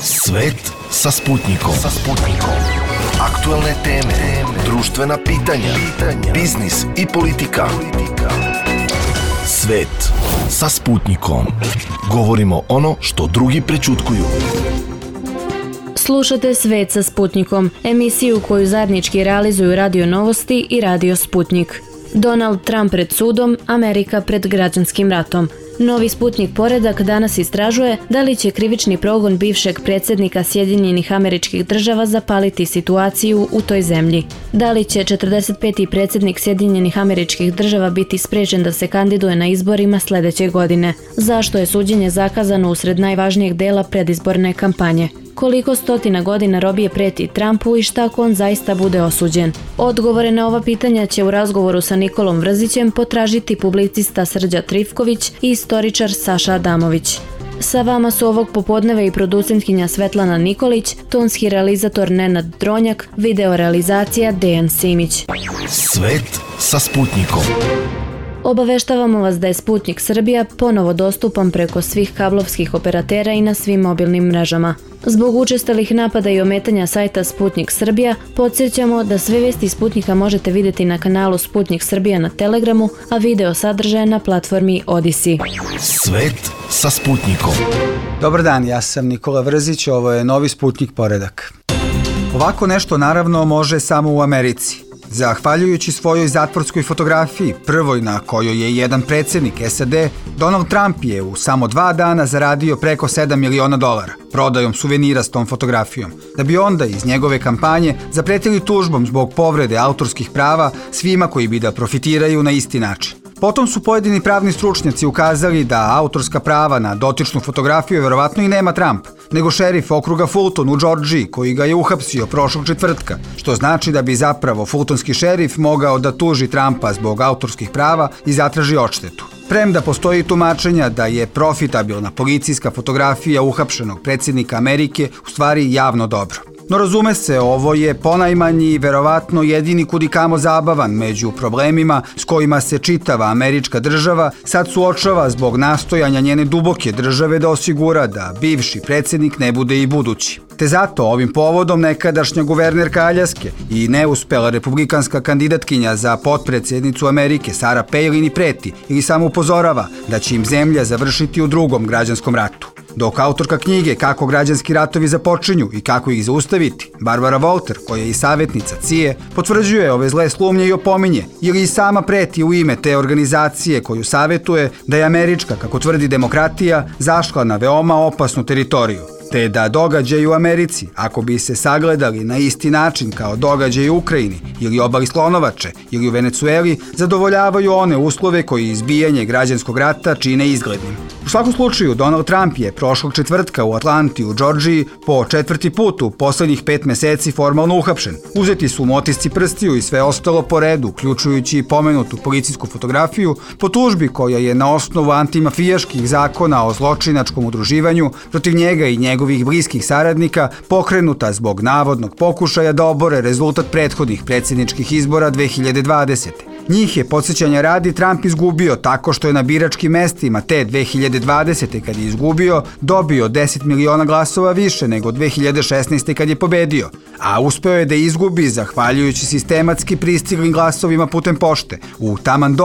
Svet sa Sputnikom. Aktuelne teme, društvena pitanja, biznis i politika. Svet sa Sputnikom. Govorimo ono što drugi prećutkuju. Slušate Svet sa Sputnikom, emisiju koju zajednički realizuju Radio Novosti i Radio Sputnik. Donald Trump pred sudom, Amerika pred građanskim ratom. Novi Sputnik poredak danas istražuje da li će krivični progon bivšeg predsjednika Sjedinjenih Američkih Država zapaliti situaciju u toj zemlji. Da li će 45. predsjednik Sjedinjenih Američkih Država biti sprečen da se kandiduje na izborima sljedeće godine? Zašto je suđenje zakazano usred najvažnijeg dela predizborne kampanje? Koliko stotina godina robije preti Trumpu i šta ako on zaista bude osuđen? Odgovore na ova pitanja će u razgovoru sa Nikolom Vrzićem potražiti publicista Srđa Trifković i istoričar Saša Adamović. Sa vama su ovog popodneva i producentkinja Svetlana Nikolić, tonski realizator Nenad Dronjak, video realizacija Dejan Simić. Svet sa Sputnikom. Obaveštavamo vas da je Sputnik Srbija ponovo dostupan preko svih kablovskih operatera i na svim mobilnim mrežama. Zbog učestalih napada i ometanja sajta Sputnik Srbija, podsjećamo da sve vesti Sputnika možete vidjeti na kanalu Sputnik Srbija na Telegramu, a video sadržaje na platformi Odisi. Svet sa Sputnikom. Dobar dan, ja sam Nikola Vrzić, ovo je novi Sputnik poredak. Ovako nešto naravno može samo u Americi. Zahvaljujući svojoj zatvorskoj fotografiji, prvoj na kojoj je jedan predsjednik SAD, Donald Trump je u samo 2 dana zaradio preko $7 miliona prodajom suvenira s tom fotografijom, da bi onda iz njegove kampanje zapretili tužbom zbog povrede autorskih prava svima koji bi da profitiraju na isti način. Potom su pojedini pravni stručnjaci ukazali da autorska prava na dotičnu fotografiju verovatno i nema Trump, nego šerif okruga Fulton u Džordžiji koji ga je uhapsio prošlog četvrtka, što znači da bi zapravo fultonski šerif mogao da tuži Trumpa zbog autorskih prava i zatraži odštetu. Premda postoji tumačenja da je profitabilna policijska fotografija uhapšenog predsjednika Amerike u stvari javno dobro. No razume se, ovo je ponajmanji i verovatno jedini kudikamo zabavan među problemima s kojima se čitava američka država sad suočava zbog nastojanja njene duboke države da osigura da bivši predsjednik ne bude i budući. Te zato ovim povodom nekadašnja guvernerka Aljaske i neuspela republikanska kandidatkinja za potpredsjednicu Amerike Sarah Palin i preti ili samo upozorava da će im zemlja završiti u drugom građanskom ratu. Dok autorka knjige Kako građanski ratovi započinju i kako ih zaustaviti, Barbara Walter, koja je i savjetnica CIA, potvrđuje ove zle slumnje i opominje, ili i sama preti u ime te organizacije koju savjetuje da je američka, kako tvrdi demokratija, zašla na veoma opasnu teritoriju. Te da događaji u Americi, ako bi se sagledali na isti način kao događaji u Ukrajini ili obali Slonovače ili u Venecueli, zadovoljavaju one uslove koji izbijanje građanskog rata čine izglednim. U svakom slučaju, Donald Trump je prošlog četvrtka u Atlanti u Džordžiji po 4. put u poslednjih 5 meseci formalno uhapšen. Uzeti su mu otisci prstiju i sve ostalo po redu, uključujući i pomenutu policijsku fotografiju, po tužbi koja je na osnovu antimafijaških zakona o zločinačkom udruživanju protiv njega i njegovih bliskih saradnika pokrenuta zbog navodnog pokušaja da obore rezultat prethodnih predsjedničkih izbora 2020. Njih je, podsjećanja radi, Trump izgubio tako što je na biračkim mestima te 2020. kad je izgubio, dobio 10 miliona glasova više nego 2016. kad je pobedio, a uspeo je da izgubi zahvaljujući sistematski pristiglim glasovima putem pošte u taman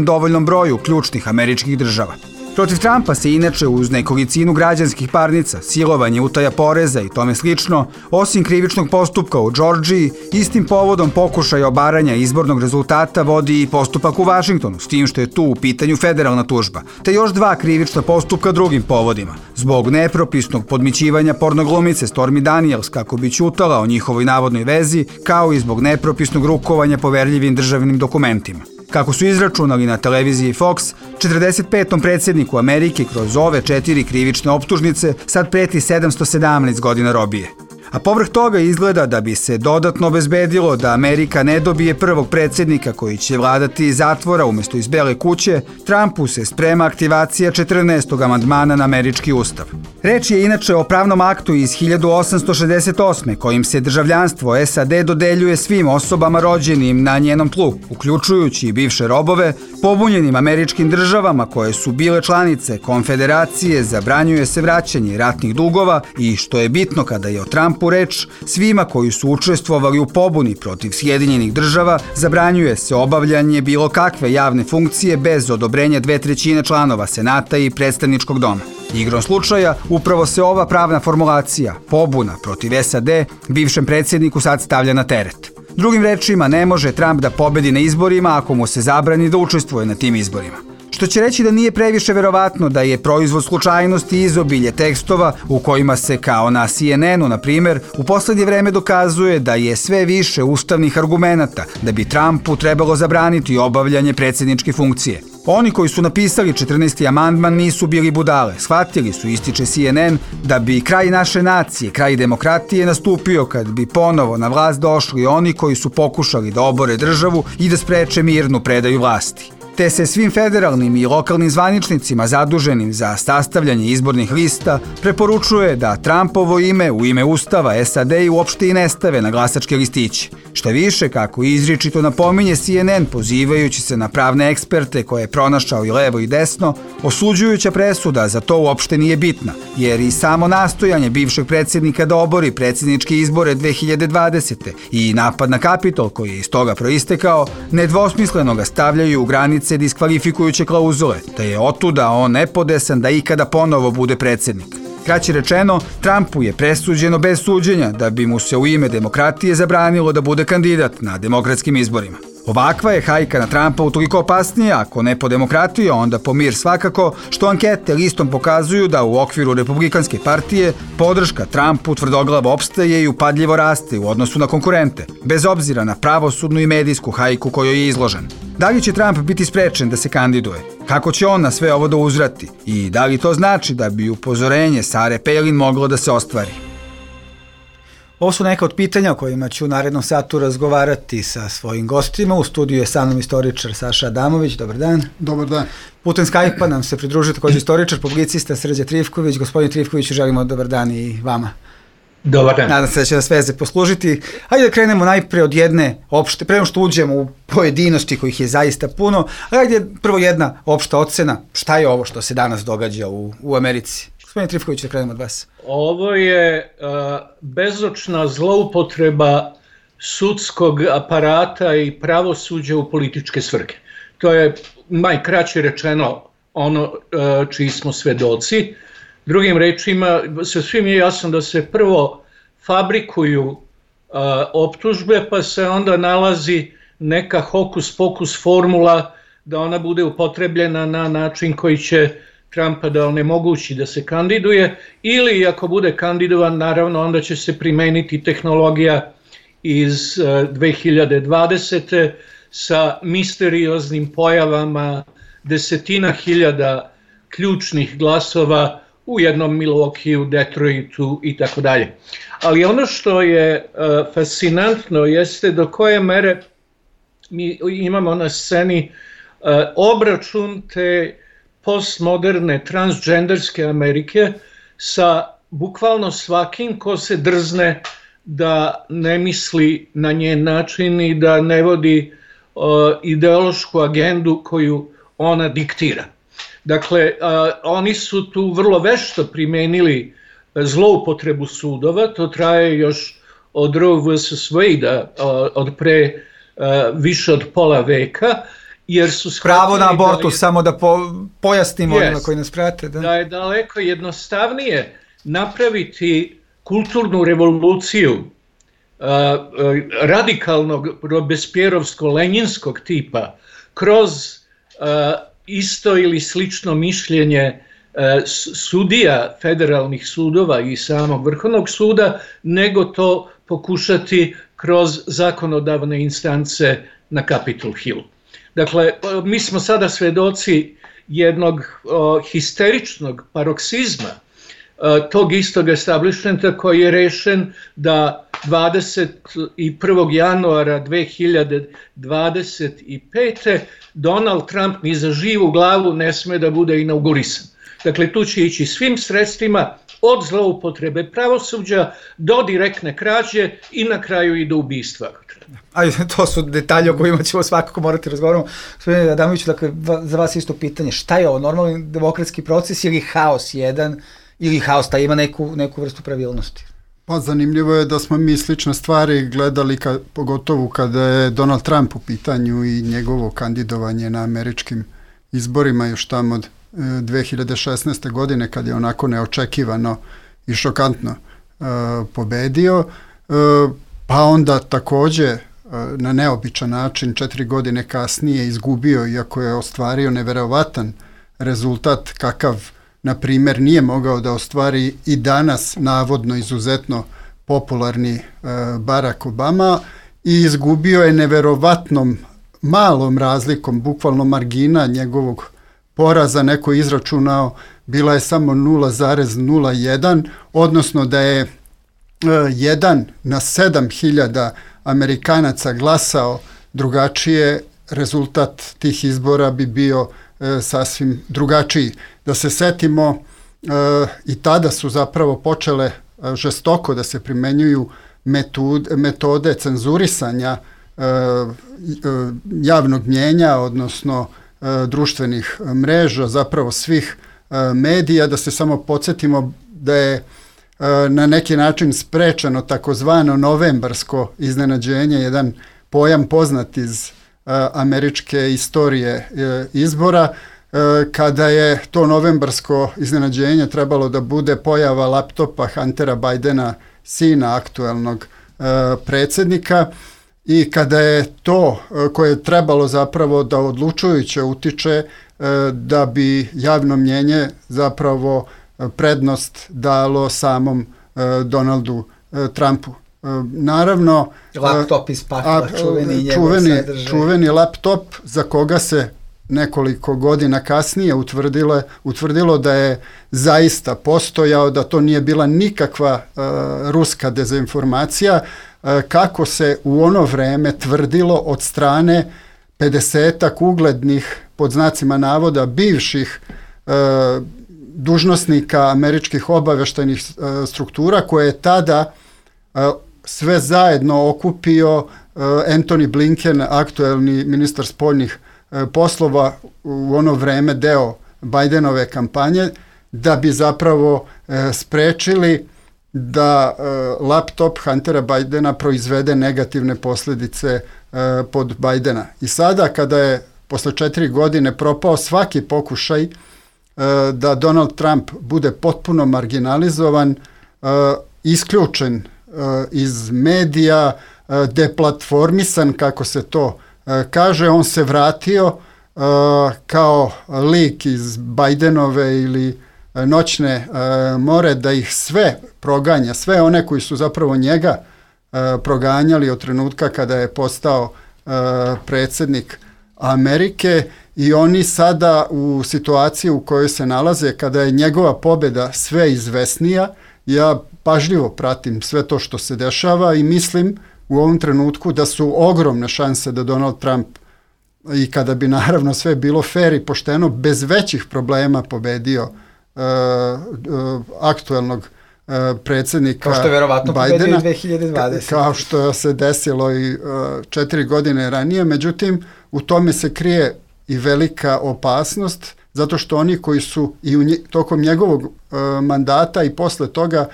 dovoljnom broju ključnih američkih država. Protiv Trumpa se inače uz nekolicinu građanskih parnica, silovanje, utaja poreza i tome slično, osim krivičnog postupka u Džordžiji, istim povodom pokušaja obaranja izbornog rezultata vodi i postupak u Vašingtonu, s tim što je tu u pitanju federalna tužba, te još 2 krivična postupka drugim povodima, zbog nepropisnog podmićivanja pornoglumice Stormy Daniels kako bi ćutala o njihovoj navodnoj vezi, kao i zbog nepropisnog rukovanja poverljivim državnim dokumentima. Kako su izračunali na televiziji Fox, 45. predsjedniku Amerike kroz ove 4 krivične optužnice sad preti 717 godina robije. A povrh toga izgleda da bi se dodatno obezbedilo da Amerika ne dobije prvog predsjednika koji će vladati iz zatvora umjesto iz Bele kuće, Trumpu se sprema aktivacija 14. amandmana na američki ustav. Reč je inače o pravnom aktu iz 1868. kojim se državljanstvo SAD dodeljuje svim osobama rođenim na njenom tlu, uključujući i bivše robove, pobunjenim američkim državama koje su bile članice konfederacije, zabranjuje se vraćanje ratnih dugova i, što je bitno kada je o Trumpu reč, svima koji su učestvovali u pobuni protiv Sjedinjenih država zabranjuje se obavljanje bilo kakve javne funkcije bez odobrenja 2/3 članova Senata i predstavničkog doma. Igrom slučaja, upravo se ova pravna formulacija, pobuna protiv SAD, bivšem predsjedniku sad stavlja na teret. Drugim rečima, ne može Trump da pobedi na izborima ako mu se zabrani da učestvuje na tim izborima. Što će reći da nije previše verovatno da je proizvod slučajnosti i izobilje tekstova u kojima se, kao na CNN-u, na primjer, u poslednje vreme dokazuje da je sve više ustavnih argumenata da bi Trumpu trebalo zabraniti obavljanje predsjedničke funkcije. Oni koji su napisali 14. amandman nisu bili budale. Shvatili su, ističe CNN, da bi kraj naše nacije, kraj demokratije nastupio kad bi ponovo na vlast došli oni koji su pokušali da obore državu i da spreče mirnu predaju vlasti. Te se svim federalnim i lokalnim zvaničnicima zaduženim za sastavljanje izbornih lista preporučuje da Trumpovo ime u ime Ustava SAD uopšte i ne stave na glasačke listiće. Šta više, kako izričito napominje CNN pozivajući se na pravne eksperte koje je pronašao i levo i desno, osuđujuća presuda za to uopšte nije bitna, jer i samo nastojanje bivšeg predsjednika da obori predsjedničke izbore 2020. i napad na Kapitol koji je iz toga proistekao, nedvosmisleno ga stavljaju u granice diskvalifikujuće klauzule, te je otuda on nepodesan da ikada ponovo bude predsjednik. Kraće rečeno, Trumpu je presuđeno bez suđenja da bi mu se u ime demokratije zabranilo da bude kandidat na demokratskim izborima. Ovakva je hajka na Trumpa utoliko opasnija, ako ne po demokratiju, onda po mir svakako, što ankete listom pokazuju da u okviru Republikanske partije podrška Trumpu tvrdoglavo opstaje i upadljivo raste u odnosu na konkurente, bez obzira na pravosudnu i medijsku hajku kojoj je izložen. Da li će Trump biti sprečen da se kandiduje? Kako će on na sve ovo da uzvrati? I da li to znači da bi upozorenje Sare Palin moglo da se ostvari? Ovo su neka od pitanja o kojima ću u narednom satu razgovarati sa svojim gostima. U studiju je sa mnom istoričar Saša Adamović. Dobar dan. Dobar dan. Putem Skype-a nam se pridružuje također istoričar, publicista Srđan Trifković. Gospodin Trifković, želimo dobar dan i vama. Dobar dan. Nadam se da će nas veze poslužiti. Hajde da krenemo najpre od jedne opšte, prema što uđemo u pojedinosti kojih je zaista puno, hajde prvo jedna opšta ocena. Šta je ovo što se danas događa u Americi? Gospodin Trifković, da krenemo od vas. Ovo je bezočna zloupotreba sudskog aparata i pravosuđa u političke svrhe. To je najkraće rečeno ono čiji smo svedoci. Drugim rečima, svim je jasno da se prvo fabrikuju optužbe, pa se onda nalazi neka hokus pokus formula da ona bude upotrebljena na način koji će Trumpa da onemogući da se kandiduje, ili ako bude kandidovan, naravno onda će se primeniti tehnologija iz 2020. sa misterioznim pojavama desetina hiljada ključnih glasova u jednom Milwaukeeu, Detroitu i tako dalje. Ali ono što je fascinantno jeste do koje mere mi imamo na sceni obračun te postmoderne transgenderske Amerike sa bukvalno svakim ko se drzne da ne misli na njen način i da ne vodi ideološku agendu koju ona diktira. Dakle, oni su tu vrlo vešto primenili zloupotrebu sudova, to traje još od Roe vs. Wade-a, od pre više od pola veka, jer su pravo na abortus, samo da pojasnimo onima koji nas prate. Da je daleko jednostavnije napraviti kulturnu revoluciju radikalnog robespjerovsko-lenjinskog tipa kroz isto ili slično mišljenje sudija federalnih sudova i samog Vrhovnog suda, nego to pokušati kroz zakonodavne instance na Capitol Hillu. Dakle, mi smo sada svedoci jednog histeričnog paroksizma tog istog establishmenta koji je rešen da 21. januara 2025. Donald Trump ni za živu glavu ne sme da bude inaugurisan. Dakle, tu će ići svim sredstvima od zloupotrebe pravosuđa do direktne krađe i na kraju i do ubistva. Ajde, to su detalje o kojima ćemo svakako morati razgovarati. Gospodine Adamoviću, dakle, za vas isto pitanje, šta je ovo, normalni demokratski proces ili haos jedan, ili haos taj ima neku vrstu pravilnosti? Pa zanimljivo je da smo mi slične stvari gledali, pogotovo kada je Donald Trump u pitanju i njegovo kandidovanje na američkim izborima još tamo od 2016. godine, kad je onako neočekivano i šokantno pobedio, pa onda takođe na neobičan način 4 godine kasnije izgubio, iako je ostvario neverovatan rezultat kakav, na primjer, nije mogao da ostvari i danas navodno izuzetno popularni Barack Obama, i izgubio je neverovatnom malom razlikom, bukvalno margina njegovog poraza, neko je izračunao, bila je samo 0,01, odnosno da je 1 na 7.000 Amerikanaca glasao drugačije, rezultat tih izbora bi bio sasvim drugačiji. Da se setimo, i tada su zapravo počele žestoko da se primenjuju metode cenzurisanja javnog mnjenja, odnosno društvenih mreža, zapravo svih medija, da se samo podsjetimo da je na neki način sprečeno takozvano novembarsko iznenađenje, jedan pojam poznat iz američke istorije izbora, kada je to novembarsko iznenađenje trebalo da bude pojava laptopa Huntera Bidena, sina aktuelnog predsjednika, i kada je to koje je trebalo zapravo da odlučujuće utiče da bi javno mnjenje zapravo prednost dalo samom Donaldu Trumpu. Naravno, laptop iz pakla, čuveni laptop za koga se nekoliko godina kasnije utvrdilo da je zaista postojao, da to nije bila nikakva ruska dezinformacija, kako se u ono vreme tvrdilo od strane 50-ak uglednih, pod znacima navoda, bivših dužnosnika američkih obaveštajnih struktura, koje je tada sve zajedno okupio Antony Blinken, aktuelni ministar spoljnih poslova, u ono vreme deo Bidenove kampanje, da bi zapravo sprečili da laptop Huntera Bidena proizvede negativne posljedice pod Bidena. I sada, kada je posle 4 godine propao svaki pokušaj da Donald Trump bude potpuno marginalizovan, isključen iz medija, deplatformisan, kako se to kaže, on se vratio kao lik iz Bidenove ili noćne more, da ih sve proganja, sve one koji su zapravo njega proganjali od trenutka kada je postao predsjednik Amerike, i oni sada u situaciji u kojoj se nalaze, kada je njegova pobjeda sve izvesnija. Ja pažljivo pratim sve to što se dešava i mislim u ovom trenutku da su ogromne šanse da Donald Trump, i kada bi naravno sve bilo fair i pošteno, bez većih problema pobedio aktuelnog predsjednika Bidena. Kao što je verovatno pobedio i 2020. Kao što se desilo i 4 godine ranije. Međutim, u tome se krije i velika opasnost, zato što oni koji su i tokom njegovog mandata i posle toga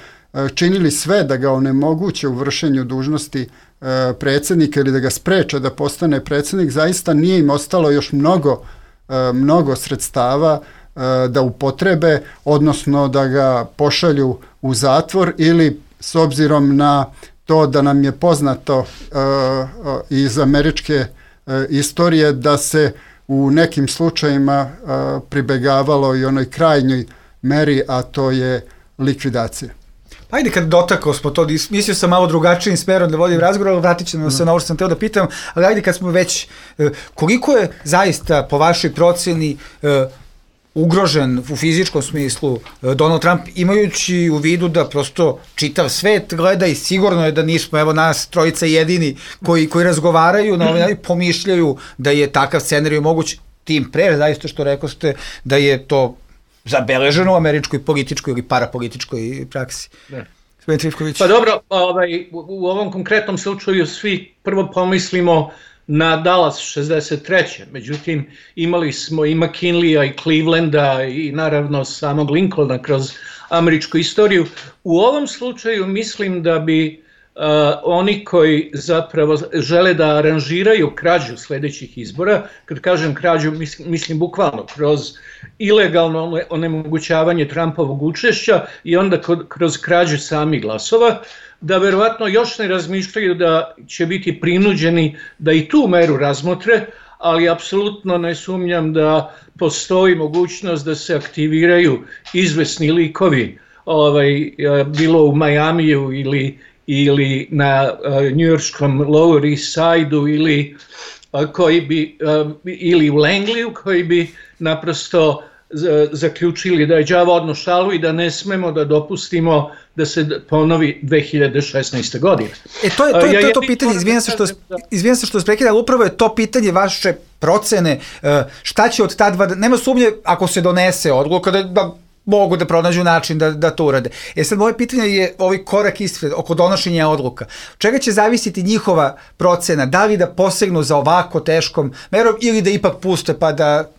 činili sve da ga onemoguće u vršenju dužnosti predsjednika ili da ga spreče da postane predsjednik, zaista nije im ostalo još mnogo sredstava da upotrebe, odnosno da ga pošalju u zatvor, ili, s obzirom na to da nam je poznato iz američke istorije, da se u nekim slučajima pribegavalo i onoj krajnjoj meri, a to je likvidacija. Ajde, kad dotakao smo to, mislio sam malo drugačijim smerom da vodim razgovor, ali vratit ćemo se na ovo što sam teo da pitam, ali ajde kad smo već, koliko je zaista po vašoj procjeni ugrožen u fizičkom smislu Donald Trump, imajući u vidu da prosto čitav svet gleda i sigurno je da nismo, evo nas trojica jedini koji razgovaraju na ovaj način, pomišljaju da je takav scenarij moguć, tim pre, zaista što rekao ste, da je to zabeleženo u američkoj političkoj ili parapolitičkoj praksi. Ne. Pa dobro, u ovom konkretnom slučaju svi prvo pomislimo na Dallas 63. Međutim, imali smo i McKinleya i Clevelanda i naravno samog Lincolna kroz američku istoriju. U ovom slučaju mislim da bi oni koji zapravo žele da aranžiraju krađu sledećih izbora, kad kažem krađu mislim bukvalno kroz ilegalno onemogućavanje Trumpovog učešća i onda kroz krađu samih glasova, da verovatno još ne razmišljaju da će biti prinuđeni da i tu meru razmotre, ali apsolutno ne sumnjam da postoji mogućnost da se aktiviraju izvesni likovi, bilo u Majamiju ili na njujorškom Lower East Side-u ili u Langliju, koji bi naprosto zaključili da je đavo odno šalu i da ne smemo da dopustimo da se ponovi 2016. godine. To je to pitanje, izvijem se što se prekida, ali upravo je to pitanje vaše procene, šta će od ta dva, nema sumnje ako se donese odluka da mogu da pronađu način da to urade. Sad moje pitanje je ovaj korak ispred oko donošenja odluka. Čega će zavisiti njihova procena? Da li da posegnu za ovako teškom merom ili da ipak puste pa da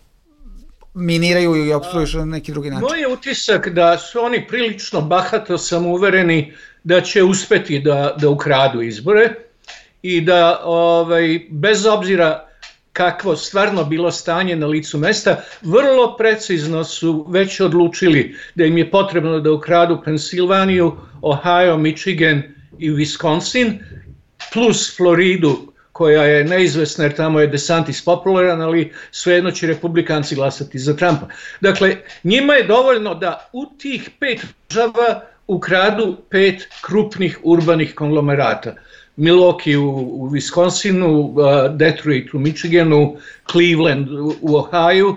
miniraju ili opstruišu na neki drugi način? Moj je utisak da su oni prilično bahato samouvereni da će uspeti da ukradu izbore i da bez obzira kakvo stvarno bilo stanje na licu mesta, vrlo precizno su već odlučili da im je potrebno da ukradu Pensilvaniju, Ohio, Michigan i Wisconsin, plus Floridu, koja je neizvesna jer tamo je DeSantis popularan, ali svejedno će republikanci glasati za Trumpa. Dakle, njima je dovoljno da u tih 5 država ukradu 5 krupnih urbanih konglomerata. Milwaukee u Wisconsinu, Detroit u Michiganu, Cleveland u Ohio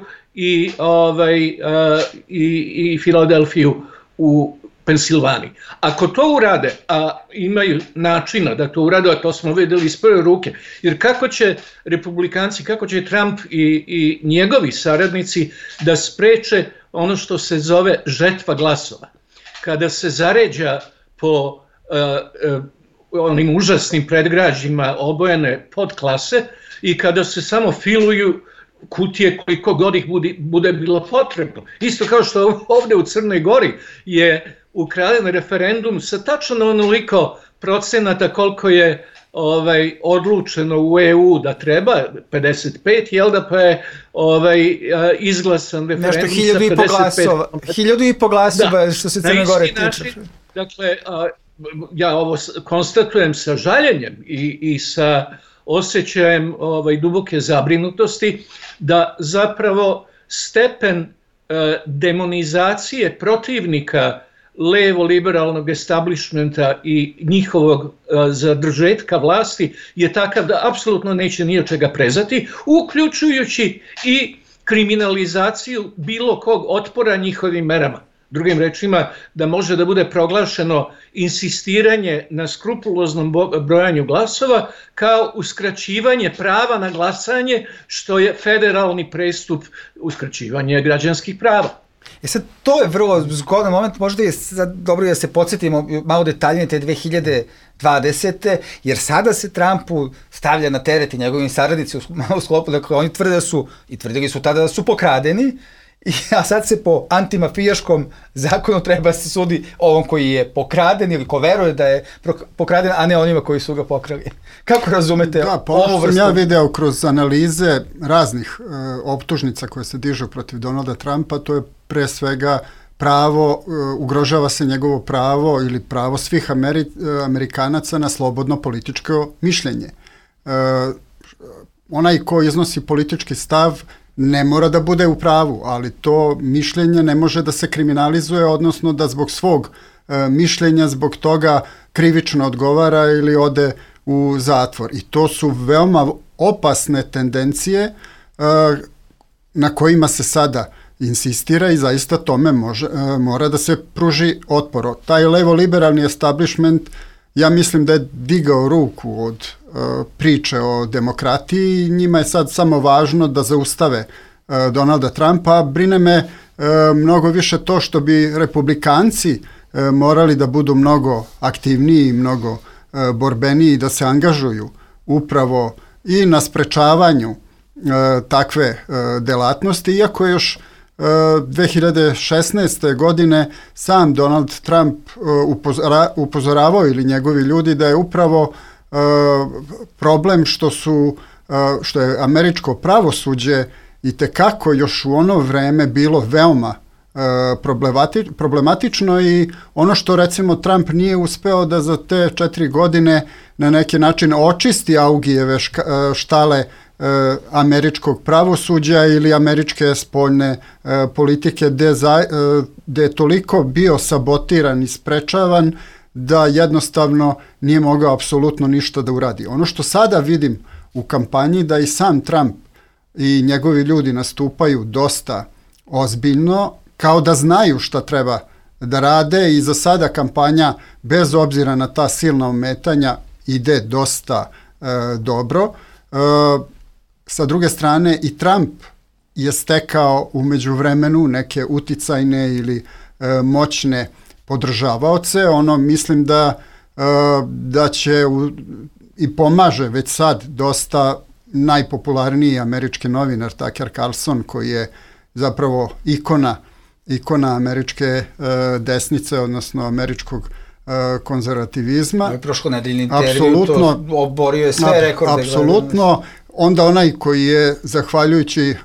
i Filadelfiju u Pensilvaniji. Ako to urade, a imaju načina da to urade, a to smo videli iz prve ruke, jer kako će republikanci, kako će Trump i njegovi saradnici da spreče ono što se zove žetva glasova. Kada se zaređa po onim užasnim predgrađima obojene podklase i kada se samo filuju kutije koliko god ih bude bilo potrebno. Isto kao što ovde u Crnoj Gori je ukraden referendum sa tačno onoliko procenata koliko je odlučeno u EU da treba, 55, jel da, pa je izglasan referendum sa 55. 1000 glasova što se Crne Gore tiče. Dakle, ja ovo konstatujem sa žaljenjem i sa osjećajem duboke zabrinutosti da zapravo stepen demonizacije protivnika levo-liberalnog establishmenta i njihovog zadržetka vlasti je takav da apsolutno neće ni od čega prezati, uključujući i kriminalizaciju bilo kog otpora njihovim merama. Drugim rečima, da može da bude proglašeno insistiranje na skrupuloznom brojanju glasova kao uskraćivanje prava na glasanje, što je federalni prestup uskraćivanja građanskih prava. Sad, to je vrlo zgodan moment, možda je sad dobro da se podsjetimo malo detaljnije te 2020. Jer sada se Trumpu stavlja na teret i njegovim saradnici u sklopu, dakle oni tvrde da su, i tvrdili su tada da su pokradeni, a sad se po antimafijaškom zakonu treba se sudi ovom koji je pokraden ili ko veruje da je pokraden, a ne onima koji su ga pokrali. Kako razumete ovu vrstu? Ja video kroz analize raznih optužnica koje se dižu protiv Donalda Trumpa, to je pre svega pravo, ugrožava se njegovo pravo ili pravo svih Amerikanaca na slobodno političko mišljenje. Onaj ko iznosi politički stav ne mora da bude u pravu, ali to mišljenje ne može da se kriminalizuje, odnosno da zbog svog mišljenja, zbog toga krivično odgovara ili ode u zatvor. I to su veoma opasne tendencije na kojima se sada insistira i zaista tome mora da se pruži otpor. Taj levo-liberalni establishment, ja mislim da je digao ruku od priče o demokratiji i njima je sad samo važno da zaustave Donalda Trumpa, a brine me mnogo više to što bi republikanci morali da budu mnogo aktivniji, mnogo borbeniji, da se angažuju upravo i na sprečavanju takve delatnosti, iako je još 2016. godine sam Donald Trump upozoravao ili njegovi ljudi da je upravo problem što je američko pravosuđe itekako još u ono vreme bilo veoma problematično i ono što recimo Trump nije uspeo da za te 4 godine na neki način očisti Augijeve štale američkog pravosuđa ili američke spoljne politike gde je toliko bio sabotiran i sprečavan da jednostavno nije mogao apsolutno ništa da uradi. Ono što sada vidim u kampanji da i sam Trump i njegovi ljudi nastupaju dosta ozbiljno, kao da znaju šta treba da rade i za sada kampanja, bez obzira na ta silna ometanja, ide dosta dobro. Sa druge strane i Trump je stekao u međuvremenu neke uticajne ili moćne podržavaoce. Mislim da će i pomaže već sad dosta najpopularniji američki novinar Tucker Carlson, koji je zapravo ikona američke desnice, odnosno američkog konzervativizma. Ovo je prošlonedeljni intervju, to oborio je sve rekorde. Apsolutno. Onda onaj koji je, zahvaljujući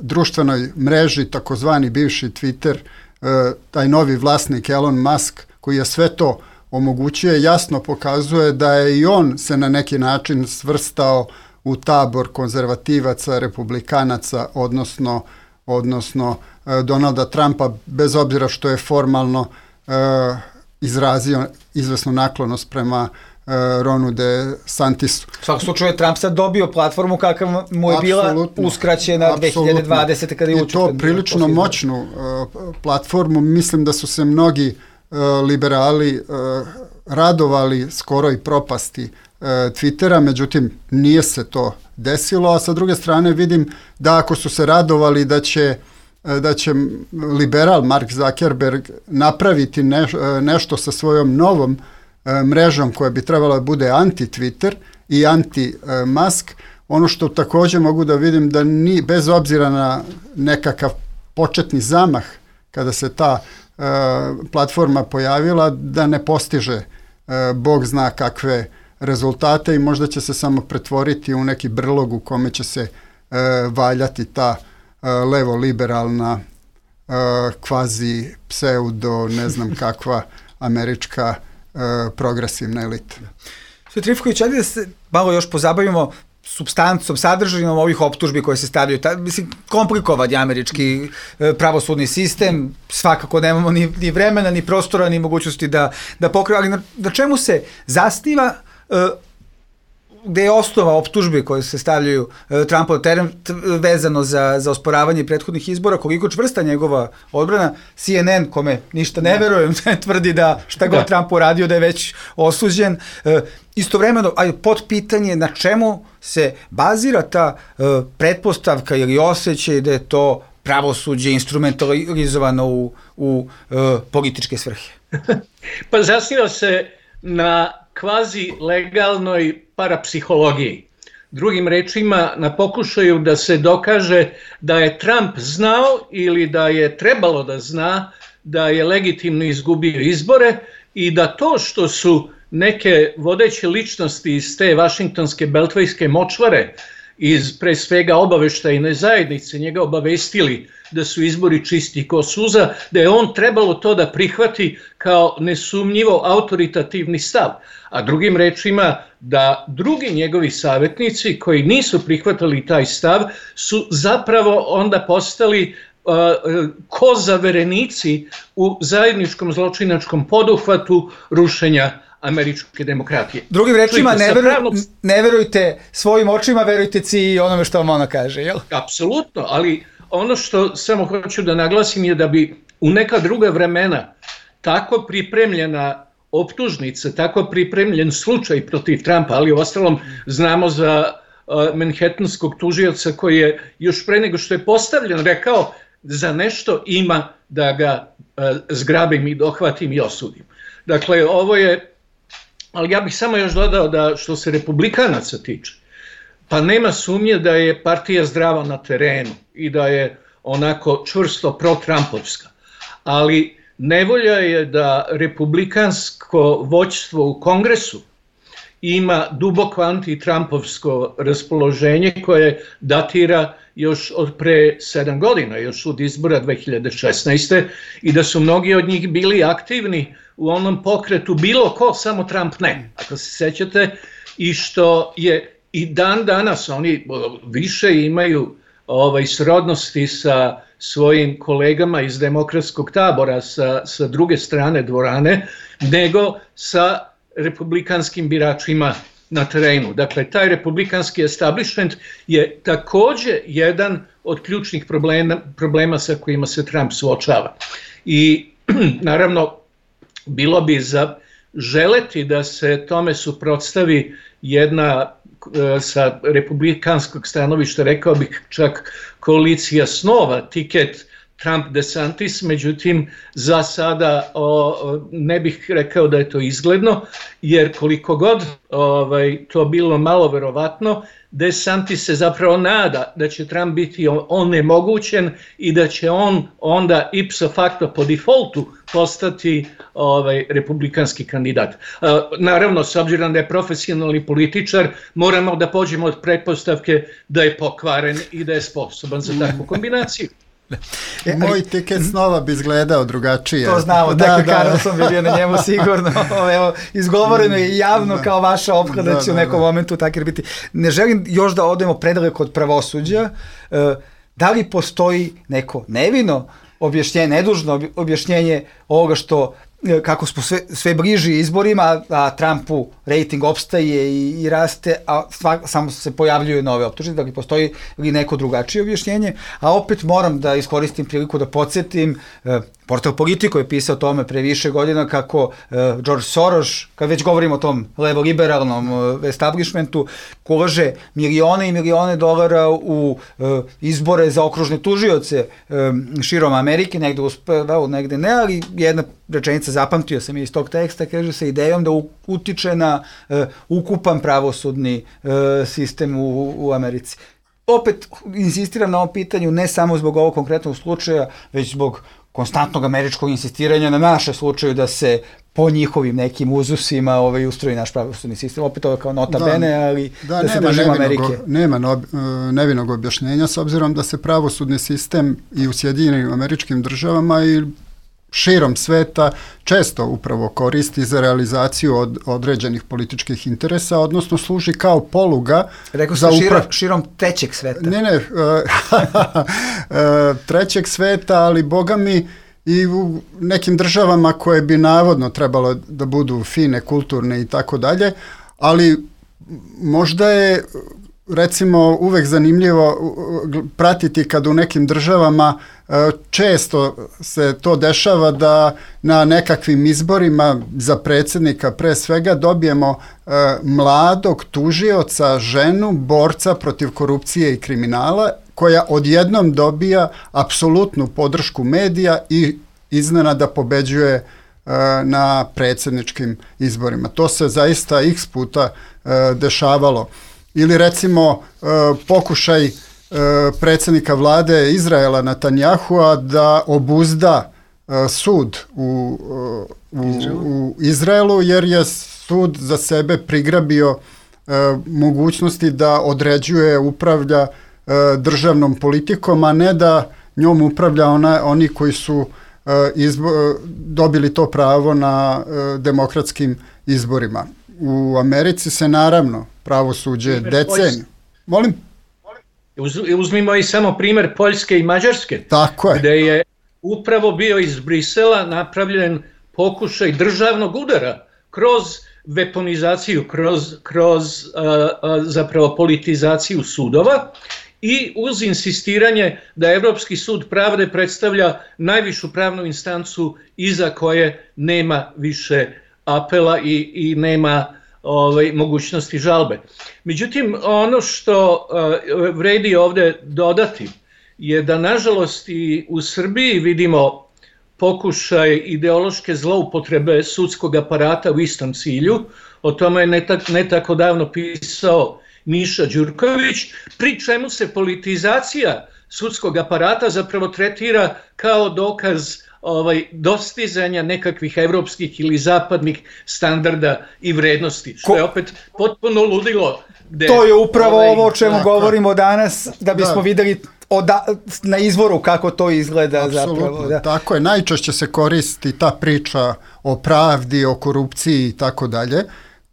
društvenoj mreži, takozvani bivši Twitter, taj novi vlasnik Elon Musk, koji je sve to omogućuje, jasno pokazuje da je i on se na neki način svrstao u tabor konzervativaca, republikanaca, odnosno Donalda Trumpa, bez obzira što je formalno izrazio izvesnu naklonost prema Ronu DeSantisu. U svakom slučaju je Trump sad dobio platformu kakav mu je bila uskraćena 2020. kada je učinjen. I to prilično moćnu platformu. Mislim da su se mnogi liberali radovali skoroj propasti Twittera, međutim nije se to desilo, a sa druge strane vidim da ako su se radovali da će liberal Mark Zuckerberg napraviti nešto sa svojom novom mrežom koja bi trebala da bude anti-Twitter i anti-Musk, ono što također mogu da vidim da bez obzira na nekakav početni zamah kada se ta platforma pojavila, da ne postiže Bog zna kakve rezultate i možda će se samo pretvoriti u neki brlog u kome će se valjati ta levo-liberalna kvazi pseudo, ne znam kakva američka progresivna elita. Sve Trifković, ajde da se malo još pozabavimo supstancom, sadržajinom ovih optužbi koje se stavljaju. Mislim, komplikovan je američki pravosudni sistem, svakako nemamo ni vremena, ni prostora, ni mogućnosti da pokriju, ali na čemu se zasniva, gde je osnova optužbi koje se stavljaju Trumpu na teren vezano za osporavanje prethodnih izbora, koliko čvrsta njegova odbrana. CNN, kome ništa ne verujem, tvrdi da šta god Trump uradio da je već osuđen. Istovremeno, pod pitanje na čemu se bazira ta pretpostavka ili osjećaj da je to pravosuđe instrumentalizovano u političke svrhe? Pa zasniva se na kvazi legalnoj parapsihologiji. Drugim rečima, na pokušaju da se dokaže da je Trump znao ili da je trebalo da zna da je legitimno izgubio izbore i da to što su neke vodeće ličnosti iz te vašingtonske beltvejske močvare iz pre svega obaveštajne zajednice njega obavestili da su izbori čisti ko suza, da je on trebalo to da prihvati kao nesumnjivo autoritativni stav. A drugim rečima da drugi njegovi savjetnici koji nisu prihvatali taj stav su zapravo onda postali kozaverenici u zajedničkom zločinačkom poduhvatu rušenja američke demokratije. Drugim rečima, ne verujte svojim očima, verujte ci i onome što vam ona kaže, jel? Apsolutno, ali ono što samo hoću da naglasim je da bi u neka druga vremena tako pripremljena optužnica, tako pripremljen slučaj protiv Trumpa, ali uostalom znamo za manhattanskog tužioca koji je još pre nego što je postavljen rekao za nešto ima da ga zgrabim i dohvatim i osudim. Dakle, ovo je, ali ja bih samo još dodao da što se republikanaca tiče, pa nema sumnje da je partija zdrava na terenu i da je onako čvrsto pro-trumpovska, ali nevolja je da republikansko vođstvo u Kongresu ima duboko anti-trumpovsko raspoloženje koje datira još od pre 7 godina, još od izbora 2016. i da su mnogi od njih bili aktivni u onom pokretu bilo ko, samo Trump ne, ako se sećate, i što je i dan danas oni više imaju srodnosti sa svojim kolegama iz demokratskog tabora sa druge strane dvorane, nego sa republikanskim biračima na terenu. Dakle, taj republikanski establishment je takođe jedan od ključnih problema sa kojima se Trump suočava. I naravno, bilo bi za želeti da se tome suprotstavi jedna sa republikanskog stanovišta, rekao bih čak koalicija snova, tiket Trump-DeSantis, međutim za sada ne bih rekao da je to izgledno, jer koliko god to bilo malo verovatno, DeSantis se zapravo nada da će Trump biti onemogućen i da će on onda ipso facto po defaultu postati republikanski kandidat. Naravno, s obzirom da je profesionalni političar, moramo da pođemo od pretpostavke da je pokvaren i da je sposoban za takvu kombinaciju. Moj tiket snova bi izgledao drugačije. To znamo, dakle Carlson bi bio na njemu sigurno. Evo, izgovoreno je javno kao vaša opka da će u nekom momentu tako biti. Ne želim još da odemo predaleko od pravosuđa. Da li postoji neko nevino objašnjenje, nedužno objašnjenje ovoga što kako smo sve bliži izborima, a Trumpu rating opstaje i raste, a samo se pojavljuju nove optužbe, da li postoji li neko drugačije objašnjenje, a opet moram da iskoristim priliku da podsjetim, portal Politico je pisao o tome pre više godina kako George Soros, kad već govorimo o tom levo-liberalnom establishmentu, ulaže milione i milione dolara u izbore za okružne tužioce širom Amerike, negde uspevao, negde ne, ali jedna rečenica zapamtio sam iz tog teksta, kaže se idejom da utiče na ukupan pravosudni sistem u Americi. Opet insistiram na ovom pitanju ne samo zbog ovog konkretnog slučaja, već zbog konstantnog američkog insistiranja na naše slučaju da se po njihovim nekim uzusima ustroji naš pravosudni sistem. Opet ovo kao nota bene, ali da se držimo Amerike. Nema nevinog objašnjenja, s obzirom da se pravosudni sistem i u Sjedinjenim Američkim Državama i širom sveta često upravo koristi za realizaciju određenih političkih interesa, odnosno služi kao poluga. Rekao sam širom trećeg sveta. Ne, trećeg sveta, ali boga mi i u nekim državama koje bi navodno trebalo da budu fine, kulturne i tako dalje, ali možda je recimo uvek zanimljivo pratiti kad u nekim državama često se to dešava da na nekakvim izborima za predsjednika pre svega dobijemo mladog tužioca, ženu, borca protiv korupcije i kriminala koja odjednom dobija apsolutnu podršku medija i iznenada pobeđuje na predsjedničkim izborima. To se zaista x puta dešavalo. Ili recimo pokušaj predsjednika vlade Izraela Netanjahua da obuzda sud u Izraelu, jer je sud za sebe prigrabio mogućnosti da određuje, upravlja državnom politikom, a ne da njom upravlja oni koji su dobili to pravo na demokratskim izborima. U Americi se naravno pravosuđe deceniju. Molim? Uzmimo i samo primer Poljske i Mađarske. Tako je. Gde je upravo bio iz Brisela napravljen pokušaj državnog udara kroz weaponizaciju, kroz zapravo politizaciju sudova i uz insistiranje da Evropski sud pravde predstavlja najvišu pravnu instancu iza koje nema više apela i nema mogućnosti žalbe. Međutim, ono što vredi ovde dodati je da nažalost i u Srbiji vidimo pokušaj ideološke zloupotrebe sudskog aparata u istom cilju. O tome je ne tako davno pisao Miša Đurković, pri čemu se politizacija sudskog aparata zapravo tretira kao dokaz dostizanja nekakvih evropskih ili zapadnih standarda i vrednosti, što je opet potpuno ludilo. To je upravo ovo o čemu govorimo danas, da bismo videli na izvoru kako to izgleda. Apsolutno, zapravo. Da. Tako je, najčešće se koristi ta priča o pravdi, o korupciji i tako dalje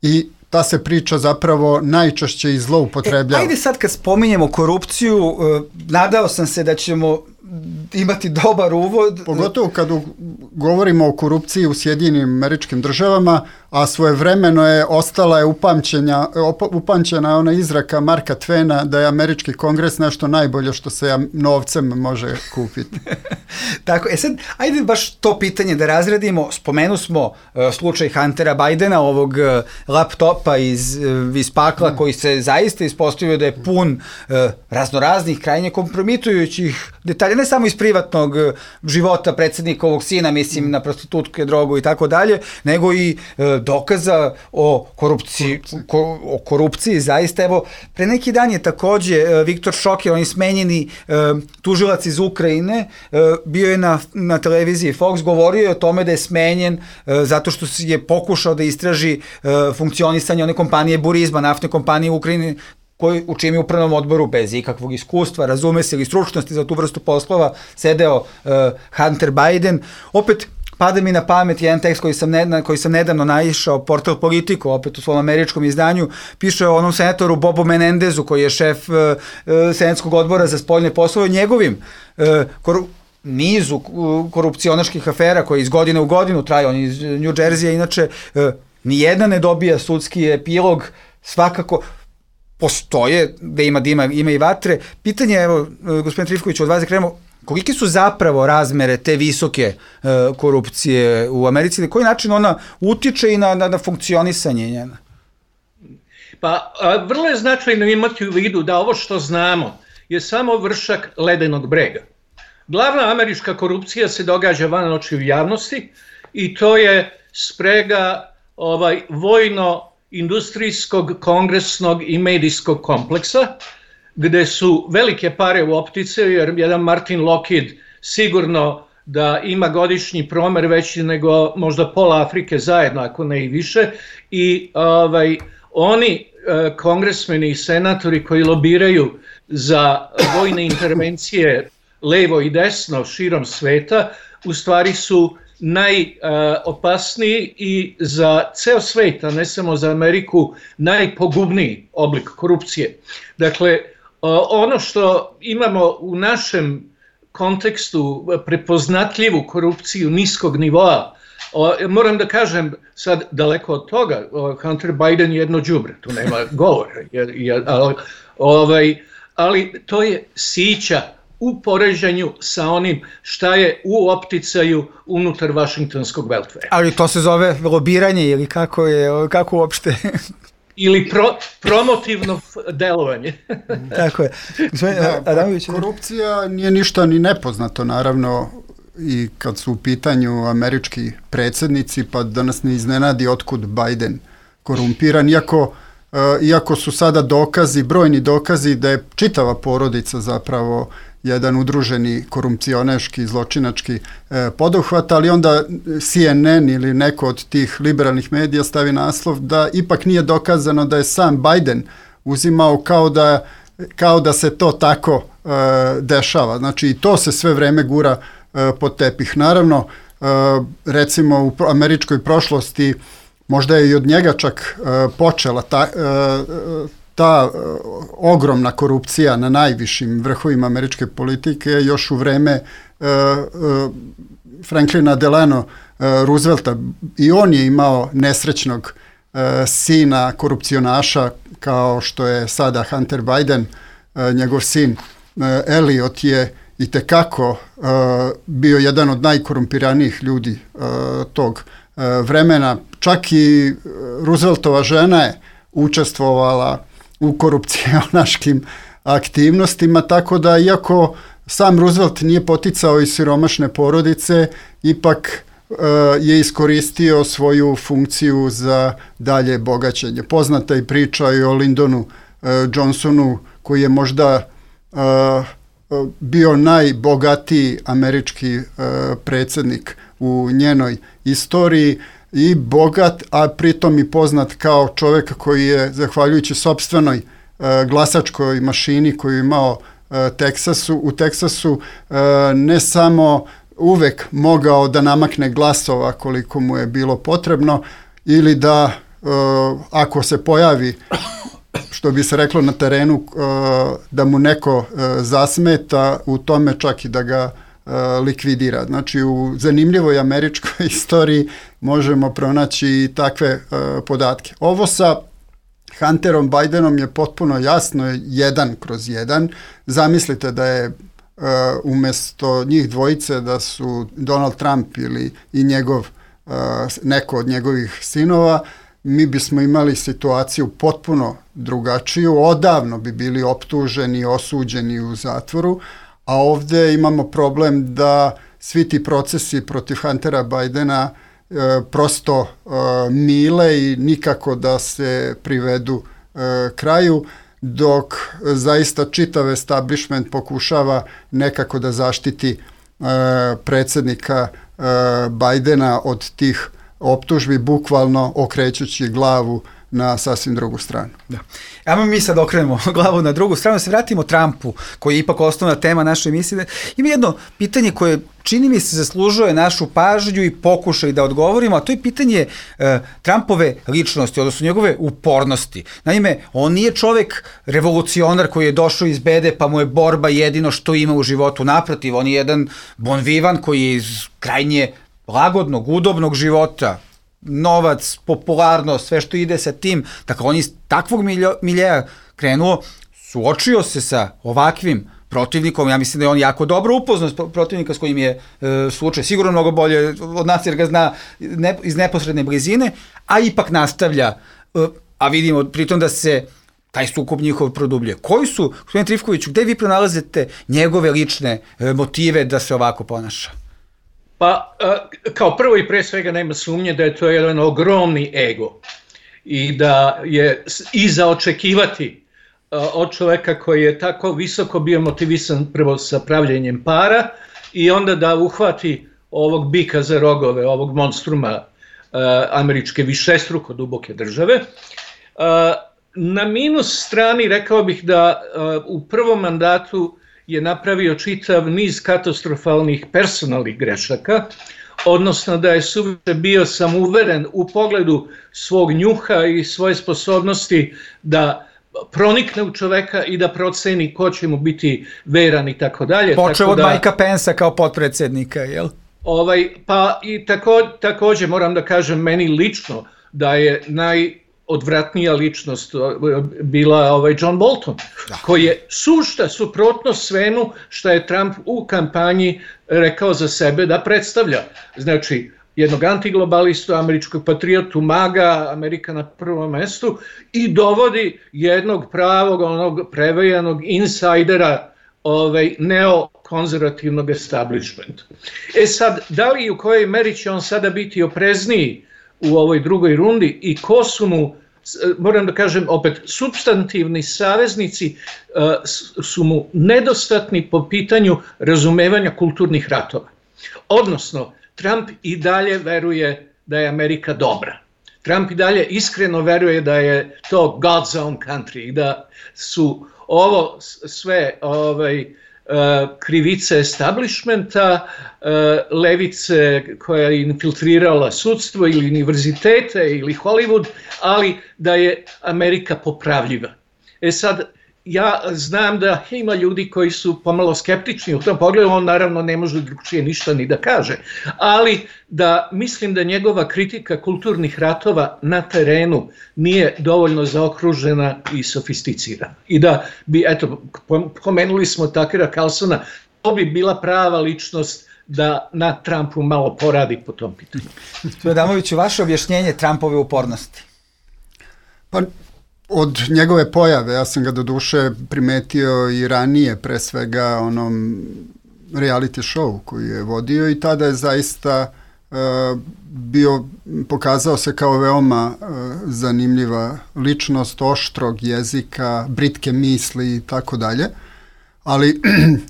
i ta se priča zapravo najčešće i zloupotrebljava. Ajde sad kad spominjemo korupciju, nadao sam se da ćemo imati dobar uvod. Pogotovo kad govorimo o korupciji u Sjedinjenim Američkim Državama, a svojevremeno je ostala je upamćena ona izraka Marka Twena da je američki kongres nešto najbolje što se novcem može kupiti. Tako, sad, ajde baš to pitanje da razredimo. Spomenu smo slučaj Huntera Bidena, ovog laptopa iz pakla koji se zaista ispostavio da je pun raznoraznih, krajnje kompromitujućih detalja, ne samo iz privatnog života predsjednika ovog sina, mislim na prostitutke, drogu i tako dalje, nego i dokaza o korupciji, zaista. Evo, pre neki dan je takođe Viktor Šoker, on je smenjeni tužilac iz Ukrajine, bio je na televiziji Fox, govorio je o tome da je smenjen zato što je pokušao da istraži funkcionisanje one kompanije Burisma, naftne kompanije u Ukrajini, u čijem je upravnom odboru bez ikakvog iskustva, razume se, ili stručnosti za tu vrstu poslova, sedeo Hunter Biden. Opet, pada mi na pamet jedan tekst koji sam nedavno naišao, portal Politico, opet u svom američkom izdanju, piše o onom senatoru Bobu Menendezu, koji je šef senatskog odbora za spoljne poslove, njegovim nizu korupcionaških afera koje iz godine u godinu traju. On iz New Jersey, inače, nijedna ne dobija sudski epilog, svakako postoje, da ima i vatre. Pitanje, evo, gospodin Trifković, od vas da krenemo, kolike su zapravo razmere te visoke korupcije u Americi, na koji način ona utiče i na funkcionisanje njena? Pa, vrlo je značajno imati u vidu da ovo što znamo je samo vršak ledenog brega. Glavna američka korupcija se događa van očiju javnosti i to je sprega vojno-industrijskog, kongresnog i medijskog kompleksa, gde su velike pare u optice, jer jedan Martin Lockheed sigurno da ima godišnji promer veći nego možda pola Afrike zajedno, ako ne i više, i oni kongresmeni i senatori koji lobiraju za vojne intervencije levo i desno širom sveta, u stvari su najopasniji i za ceo svet, a ne samo za Ameriku, najpogubniji oblik korupcije. Dakle, ono što imamo u našem kontekstu prepoznatljivu korupciju niskog nivoa, moram da kažem sad daleko od toga, Hunter Biden je jedno đubre, tu nema govora, ali to je sića u poređenju sa onim šta je u opticaju unutar Vašingtonskog beltveja. Ali to se zove lobiranje ili kako uopšte? Ili promotivno delovanje. Tako je. Korupcija nije ništa ni nepoznato, naravno, i kad su u pitanju američki predsjednici, pa da nas ne iznenadi otkud Biden korumpiran, iako su sada brojni dokazi da je čitava porodica zapravo jedan udruženi korupcioneški, zločinački poduhvat, ali onda CNN ili neko od tih liberalnih medija stavi naslov da ipak nije dokazano da je sam Biden uzimao kao da se to tako dešava. Znači i to se sve vreme gura pod tepih. Naravno, recimo u američkoj prošlosti možda je i od njega čak počela ta ogromna korupcija na najvišim vrhovima američke politike još u vreme Franklina Delano Roosevelta. I on je imao nesrećnog sina korupcionaša kao što je sada Hunter Biden, njegov sin Elliot je itekako bio jedan od najkorumpiranijih ljudi tog vremena. Čak i Rooseveltova žena je učestvovala u korupcionaškim aktivnostima, tako da iako sam Roosevelt nije poticao iz siromašne porodice, ipak je iskoristio svoju funkciju za dalje bogaćenje. Poznata je priča i o Lyndonu Johnsonu, koji je možda bio najbogatiji američki predsjednik u njenoj istoriji i bogat, a pritom i poznat kao čovjek koji je, zahvaljujući sopstvenoj glasačkoj mašini koju je imao u Teksasu, ne samo uvek mogao da namakne glasova koliko mu je bilo potrebno, ili da ako se pojavi, što bi se reklo na terenu, da mu neko zasmeta u tome, čak i da ga likvidira. Znači, u zanimljivoj američkoj istoriji možemo pronaći i takve podatke. Ovo sa Hunterom Bidenom je potpuno jasno, 1/1. Zamislite da je umjesto njih dvojice da su Donald Trump ili i neko od njegovih sinova, mi bismo imali situaciju potpuno drugačiju, odavno bi bili optuženi, osuđeni u zatvoru, a ovdje imamo problem da svi ti procesi protiv Huntera Bidena prosto mile i nikako da se privedu kraju, dok zaista čitav establishment pokušava nekako da zaštiti predsjednika Bidena od tih optužbi, bukvalno okrećući glavu na sasvim drugu stranu. Da. Ajmo mi sad okrenemo glavu na drugu stranu, se vratimo Trumpu, koji je ipak osnovna tema naše emisije. Ima jedno pitanje koje čini mi se zaslužuje našu pažnju i pokušaj da odgovorimo, a to je pitanje Trumpove ličnosti, odnosno njegove upornosti. Naime, on nije čovek revolucionar koji je došao iz bede pa mu je borba jedino što ima u životu. Naprotiv, on je jedan bon vivant koji je iz krajnje lagodnog, udobnog života, novac, popularnost, sve što ide sa tim. Dakle, on iz takvog miljeja krenuo, suočio se sa ovakvim protivnikom. Ja mislim da je on jako dobro upoznao protivnika s kojim je slučaj, sigurno mnogo bolje od nas jer ga zna iz neposredne blizine, a ipak nastavlja, a vidimo pritom da se taj sukob njihov produbljuje. Koji su, gospodine Trifkoviću, gde vi pronalazite njegove lične motive da se ovako ponaša? Pa, kao prvo i pre svega nema sumnje da je to jedan ogromni ego i da je i za očekivati od čoveka koji je tako visoko bio motivisan prvo sa pravljenjem para i onda da uhvati ovog bika za rogove, ovog monstruma američke višestruko duboke države. Na minus strani rekao bih da u prvom mandatu je napravio čitav niz katastrofalnih personalnih grešaka, odnosno da je suviše bio samouveren u pogledu svog njuha i svoje sposobnosti da pronikne u čoveka i da proceni ko će mu biti veran i tako dalje. Počeo od Mikea Pensa kao potpredsjednika, jel? Pa i također moram da kažem meni lično da je odvratnija ličnost bila John Bolton, koji je sušta suprotnost svemu što je Trump u kampanji rekao za sebe da predstavlja. Znači, jednog antiglobalistu, američkog patriotu, maga, Amerika na prvom mestu i dovodi jednog pravog, onog prevejanog insajdera neokonzervativnog establishmenta. Sad, da li i u kojoj meri će on sada biti oprezniji u ovoj drugoj rundi i ko su mu, moram da kažem opet, supstantivni saveznici su mu nedostatni po pitanju razumevanja kulturnih ratova. Odnosno, Trump i dalje veruje da je Amerika dobra. Trump i dalje iskreno veruje da je to God's own country i da su ovo sve krivice establishmenta, levice koja je infiltrirala sudstvo ili univerzitete ili Hollywood, ali da je Amerika popravljiva. Sad, ja znam da ima ljudi koji su pomalo skeptični u tom pogledu, on naravno ne može drugčije ništa ni da kaže, ali da mislim da njegova kritika kulturnih ratova na terenu nije dovoljno zaokružena i sofisticirana. I da bi, eto, pomenuli smo Takera Carlsona, to bi bila prava ličnost da na Trumpu malo poradi po tom pitanju. Adamoviću, vaše objašnjenje Trumpove upornosti? Pa, od njegove pojave, ja sam ga do duše primetio i ranije, pre svega onom reality show koji je vodio i tada je zaista pokazao se kao veoma zanimljiva ličnost, oštrog jezika, britke misli i tako dalje, ali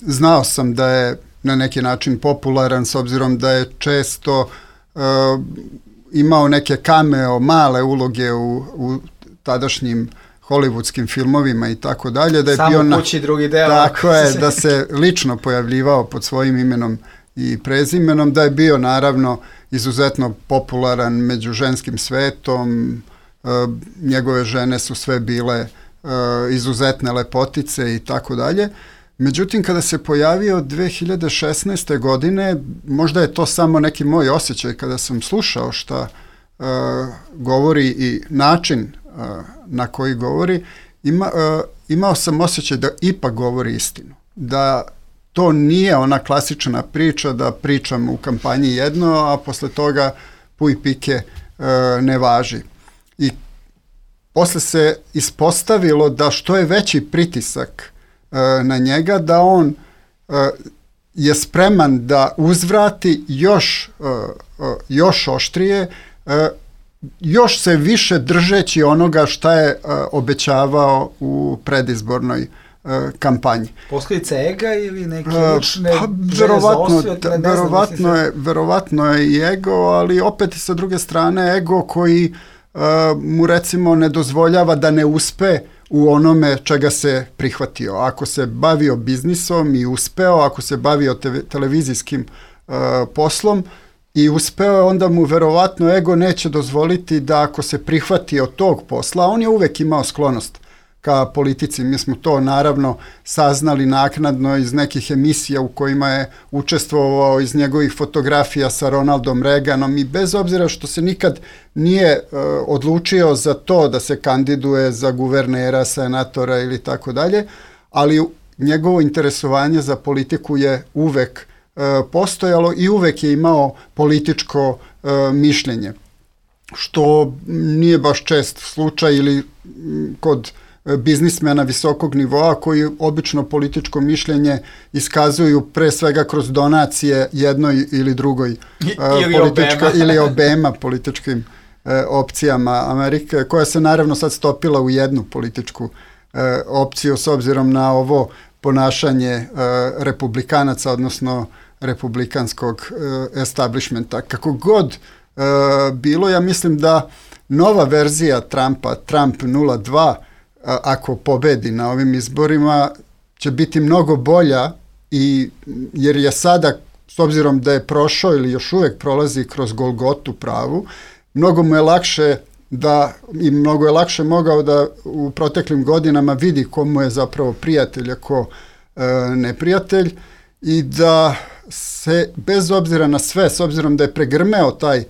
znao sam da je na neki način popularan s obzirom da je često imao neke cameo, male uloge u tadašnjim hollywoodskim filmovima i tako dalje, da je Samo bio kući drugi deo. Tako je, da se lično pojavljivao pod svojim imenom i prezimenom, da je bio naravno izuzetno popularan među ženskim svetom, njegove žene su sve bile izuzetne lepotice i tako dalje. Međutim, kada se pojavio 2016. godine, možda je to samo neki moj osjećaj kada sam slušao šta govori i način na koji govori, imao sam osjećaj da ipak govori istinu. Da to nije ona klasična priča da pričam u kampanji jedno, a posle toga puj pike ne važi. I posle se ispostavilo da što je veći pritisak na njega, da on je spreman da uzvrati još oštrije, još se više držeći onoga šta je obećavao u predizbornoj kampanji. Posljedica ega ili neke lične verovatno je i ego, ali opet sa druge strane ego koji mu recimo ne dozvoljava da ne uspe u onome čega se prihvatio. Ako se bavio biznisom i uspeo, ako se bavio televizijskim poslom i uspeo, onda mu verovatno ego neće dozvoliti da ako se prihvatio tog posla, on je uvek imao sklonost ka politici. Mi smo to naravno saznali naknadno iz nekih emisija u kojima je učestvovao, iz njegovih fotografija sa Ronaldom Reaganom, i bez obzira što se nikad nije odlučio za to da se kandiduje za guvernera, senatora ili tako dalje, ali njegovo interesovanje za politiku je uvek postojalo i uvek je imao političko mišljenje, što nije baš čest slučaj ili kod biznismena visokog nivoa koji obično političko mišljenje iskazuju pre svega kroz donacije jednoj ili drugoj ili obema političkim opcijama Amerike, koja se naravno sad stopila u jednu političku opciju s obzirom na ovo ponašanje republikanaca, odnosno republikanskog establishmenta. Kako god bilo, ja mislim da nova verzija Trumpa, Trump 02, ako pobedi na ovim izborima, će biti mnogo bolja, jer je sada, s obzirom da je prošao ili još uvek prolazi kroz Golgotu pravu, mnogo mu je lakše i mnogo je lakše mogao da u proteklim godinama vidi ko mu je zapravo prijatelj, a ko neprijatelj, i da se bez obzira na sve, s obzirom da je pregrmeo taj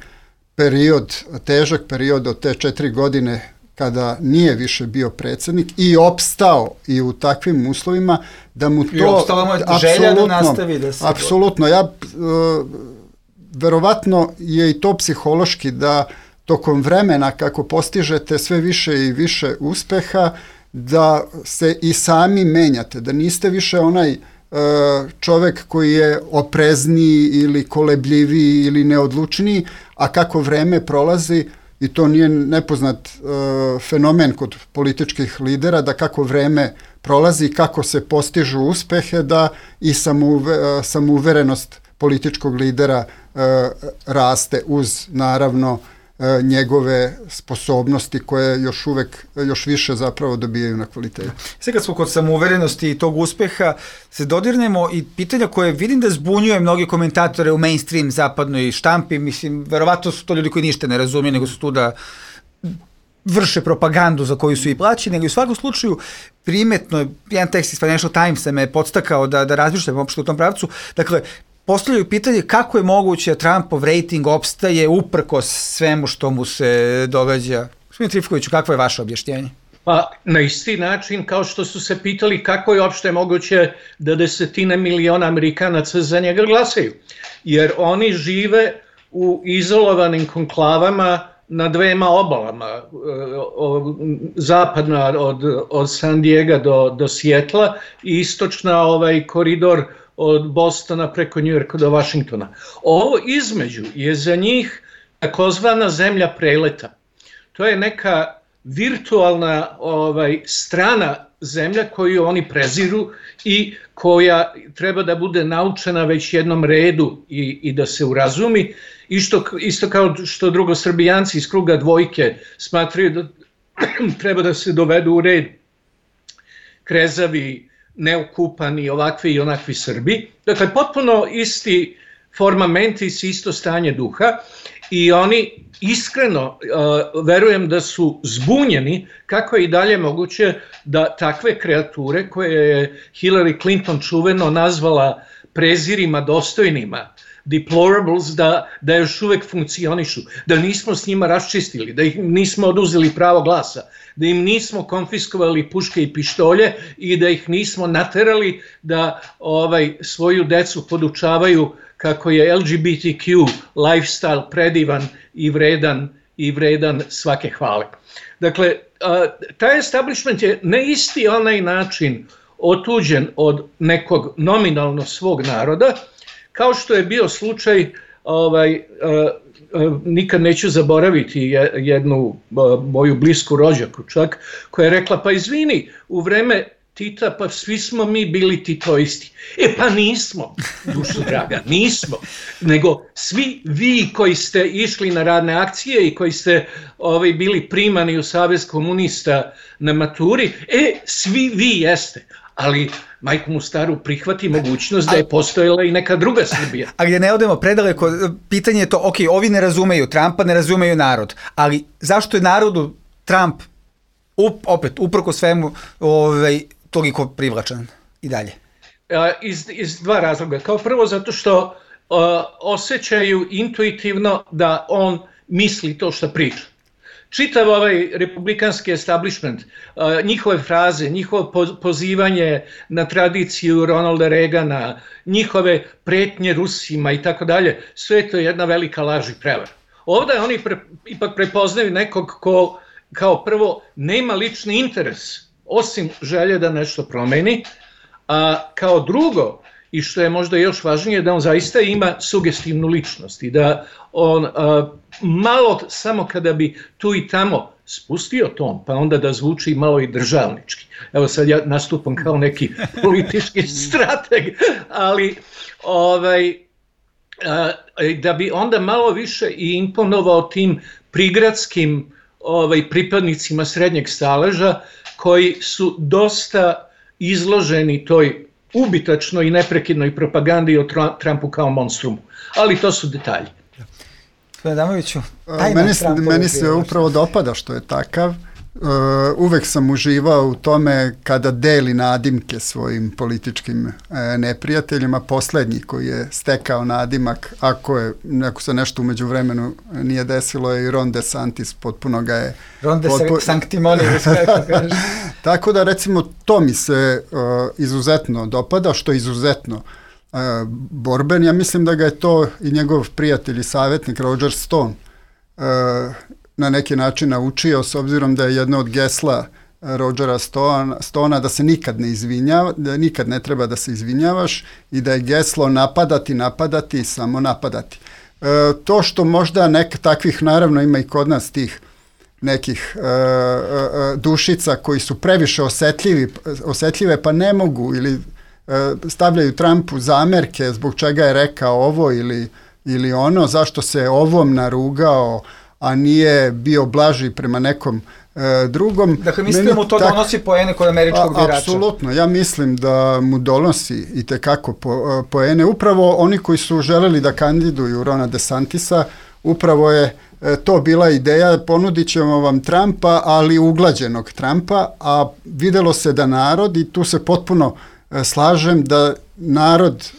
period, težak period od te 4 godine kada nije više bio predsjednik i opstao i u takvim uslovima, da mu to... I opstala mu je želja da nastavi da se... Apsolutno, verovatno je i to psihološki da tokom vremena kako postižete sve više i više uspeha, da se i sami menjate, da niste više onaj čovek koji je oprezniji ili kolebljiviji ili neodlučniji, a kako vreme prolazi, i to nije nepoznat fenomen kod političkih lidera, da kako vreme prolazi, kako se postižu uspehe, da i samouverenost političkog lidera raste uz naravno njegove sposobnosti koje još više zapravo dobijaju na kvalitetu. Sve kad smo kod samouverenosti i tog uspeha, se dodirnemo i pitanja koje vidim da zbunjuje mnogi komentatore u mainstream zapadnoj štampi, mislim, verovatno su to ljudi koji ništa ne razumiju, nego su tu da vrše propagandu za koju su i plaćeni, nego u svakom slučaju primetno, jedan tekst iz Financial Timesa me je podstakao da razmišljam uopšte u tom pravcu, dakle, postavljaju pitanje kako je moguće da Trumpov rejting opstaje uprkos svemu što mu se događa. Gospodin Trifkoviću, kakvo je vaše objašnjenje? Pa na isti način kao što su se pitali kako je uopšte moguće da 10 miliona Amerikanaca za njega glasaju. Jer oni žive u izolovanim konklavama na dvema obalama, zapadna od San Diega do Sijetla i istočna koridor od Bostona preko Njujorka do Vašingtona. Ovo između je za njih takozvana zemlja preleta. To je neka virtualna strana zemlja koju oni preziru i koja treba da bude naučena već jednom redu i da se urazumi. Isto kao što drugosrbijanci iz kruga dvojke smatraju da treba da se dovedu u red krezavi, neokupani, ovakvi i onakvi Srbi. Dakle, potpuno isti formamentis, isto stanje duha i oni iskreno verujem da su zbunjeni kako je i dalje moguće da takve kreature koje je Hillary Clinton čuveno nazvala prezirima dostojnima, deplorables, da još uvek funkcionišu, da nismo s njima raščistili, da ih nismo oduzeli pravo glasa, da im nismo konfiskovali puške i pištolje i da ih nismo naterali da svoju decu podučavaju kako je LGBTQ lifestyle predivan i vredan svake hvale. Dakle, taj establishment je na isti onaj način otuđen od nekog nominalno svog naroda, kao što je bio slučaj, nikad neću zaboraviti jednu moju blisku rođaku čak, koja je rekla, pa izvini, u vreme Tita, pa svi smo mi bili titoisti. Pa nismo, dušo draga, nismo. Nego svi vi koji ste išli na radne akcije i koji ste bili primani u Savez komunista na maturi, svi vi jeste. Ali majku mu staru prihvati mogućnost da je postojala i neka druga Srbija. A gdje ne odemo predaleko, pitanje je to, ok, ovi ne razumeju Trumpa, ne razumeju narod, ali zašto je narodu Trump opet, uprko svemu, toliko privlačan i dalje? Iz dva razloga. Kao prvo zato što osjećaju intuitivno da on misli to što priča. Čitav republikanski establishment, njihove fraze, njihovo pozivanje na tradiciju Ronalda Reagana, njihove pretnje Rusima i tako dalje, sve je to jedna velika laž i prevara. Ovdje oni ipak prepoznaju nekog ko kao prvo nema lični interes, osim želje da nešto promeni, a kao drugo, i što je možda još važnije, da on zaista ima sugestivnu ličnost i da on malo, samo kada bi tu i tamo spustio ton, pa onda da zvuči malo i državnički. Evo sad ja nastupam kao neki politički strateg, ali da bi onda malo više i imponovao tim prigradskim pripadnicima srednjeg staleža koji su dosta izloženi toj ubitačnoj i neprekidnoj propagandi o Trumpu kao monstrumu. Ali to su detalji. Adamoviću, meni se upravo dopada što je takav. Uvek sam uživao u tome kada deli nadimke svojim političkim neprijateljima. Poslednji koji je stekao nadimak, ako se nešto umeđu vremenu nije desilo, je i Ron DeSantis, potpuno ga je... Ron DeSanctimonious, kako kaže. Tako da, recimo, to mi se izuzetno dopada, što je izuzetno borben. Ja mislim da ga je to i njegov prijatelj i savjetnik Roger Stone na neki način naučio, s obzirom da je jedno od gesla Rogera Stona da se nikad ne izvinjava, da nikad ne treba da se izvinjavaš i da je geslo napadati i samo napadati. To što možda takvih, naravno ima i kod nas tih nekih dušica koji su previše osetljive pa ne mogu ili stavljaju Trumpu zamerke zbog čega je rekao ovo ili ono, zašto se ovom narugao, a nije bio blaži prema nekom drugom. Dakle, mislim da mu to donosi poene kod američkog birača. Apsolutno, ja mislim da mu donosi i tekako poene. Upravo oni koji su želeli da kandiduju Rona DeSantisa, upravo je to bila ideja, ponudit ćemo vam Trumpa, ali uglađenog Trumpa, a videlo se da narod, i tu se potpuno slažem,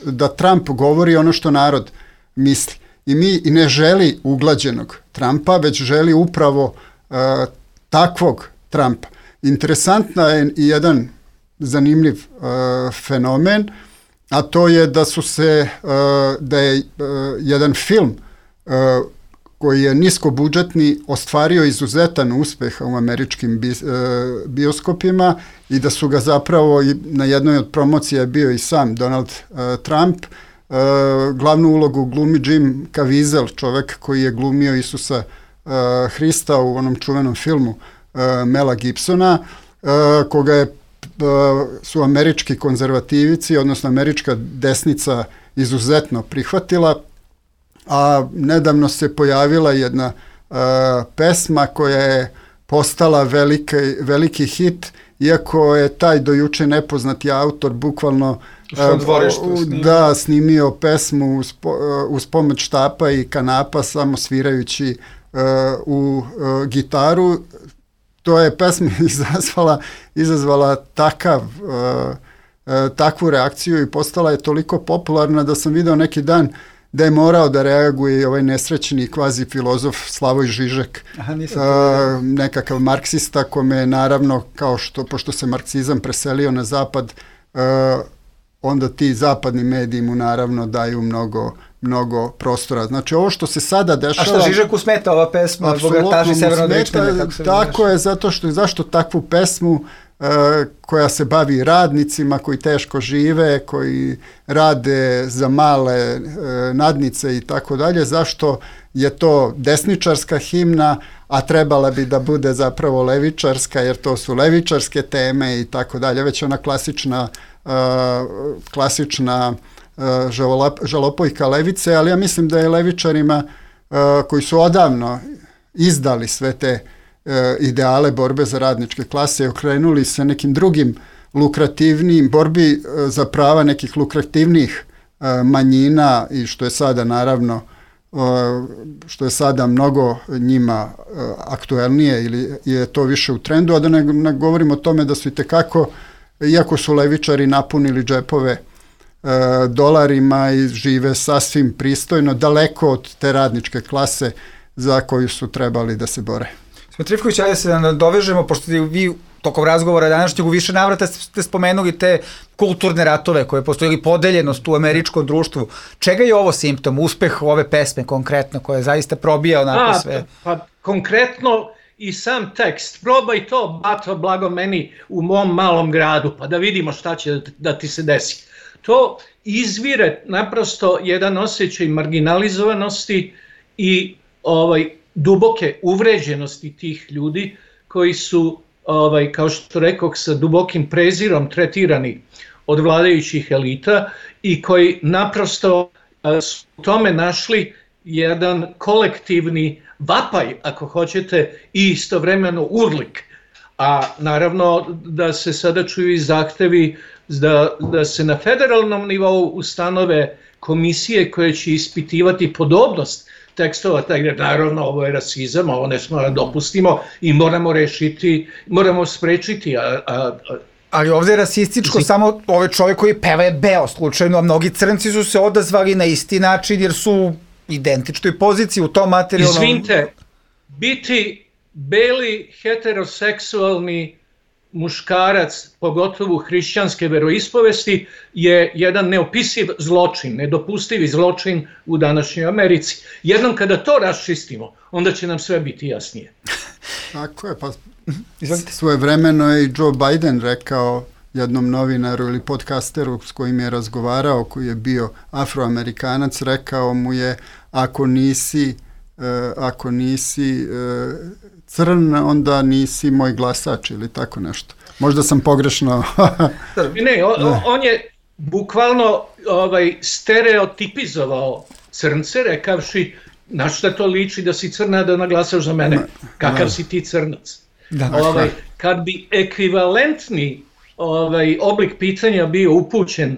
da Trump govori ono što narod misli. I ne želi uglađenog Trumpa, već želi upravo takvog Trumpa. Interesantna je i jedan zanimljiv fenomen, a to je da je jedan film koji je niskobudžetni ostvario izuzetan uspeh u američkim bioskopima i da su ga zapravo na jednoj od promocija je bio i sam Donald Trump. Glavnu ulogu glumi Jim Caviezel, čovek koji je glumio Isusa Hrista u onom čuvenom filmu Mela Gibsona, koga su američki konzervativici, odnosno američka desnica izuzetno prihvatila, a nedavno se pojavila jedna pesma koja je postala veliki hit, iako je taj dojuče nepoznati autor bukvalno snimio pesmu uz pomoć štapa i kanapa, samo svirajući u gitaru. To je pesma izazvala takvu reakciju i postala je toliko popularna da sam video neki dan da je morao da reaguje i ovaj nesrećni kvazi filozof Slavoj Žižek, nekakav marksista kome je naravno, pošto se marksizam preselio na zapad, onda ti zapadni mediji mu naravno daju mnogo prostora. Znači ovo što se sada dešava... A što Žižeku smeta ova pesma? Apsolutno mu smeta, tako je, zašto takvu pesmu koja se bavi radnicima koji teško žive, koji rade za male nadnice i tako dalje, zašto je to desničarska himna, a trebala bi da bude zapravo levičarska, jer to su levičarske teme i tako dalje, već ona klasična žalopojka levice, ali ja mislim da je levičarima koji su odavno izdali sve te ideale borbe za radničke klase, okrenuli se nekim drugim lukrativnijim, borbi za prava nekih lukrativnijih manjina, i što je sada naravno mnogo njima aktuelnije ili je to više u trendu, a da ne govorimo o tome da su itekako, iako su levičari napunili džepove dolarima i žive sasvim pristojno, daleko od te radničke klase za koju su trebali da se bore. Trifković, ajde se da dovežemo, pošto vi tokom razgovora današnjeg u više navrata ste spomenuli te kulturne ratove koje postoji ili podeljenost u američkom društvu. Čega je ovo simptom, uspeh ove pesme konkretno koja je zaista probija onako sve? Pa konkretno i sam tekst, probaj to, bato blago meni u mom malom gradu, pa da vidimo šta će da ti se desi. To izvire naprosto jedan osjećaj marginalizovanosti i duboke uvređenosti tih ljudi koji su, kao što rekoh, sa dubokim prezirom tretirani od vladajućih elita i koji naprosto su u tome našli jedan kolektivni vapaj, ako hoćete, i istovremeno urlik. A naravno da se sada čuju i zahtevi da se na federalnom nivou ustanove komisije koje će ispitivati podobnost tekstova, naravno ovo je rasizam, ovo ne smo da dopustimo i moramo sprečiti. Ali ovdje je rasističko samo ovaj čovjek koji peva je beo slučajno, a mnogi crnci su se odazvali na isti način jer su u identičnoj poziciji u tom materijalnom... Izvinite, biti beli heteroseksualni muškarac, pogotovo hrišćanske veroispovesti, je jedan neopisiv zločin, nedopustivi zločin u današnjoj Americi. Jednom kada to raščistimo, onda će nam sve biti jasnije. Tako je, pa svojevremeno je i Joe Biden rekao jednom novinaru ili podcasteru s kojim je razgovarao, koji je bio Afroamerikanac, rekao mu je ako nisi crn, onda nisi moj glasač ili tako nešto. Možda sam pogrešno... Ne, on je bukvalno stereotipizovao crnce, rekavši na šta to liči da si crna da naglasaš za mene, kakav si ti crnac. Kad bi ekvivalentni oblik pitanja bio upućen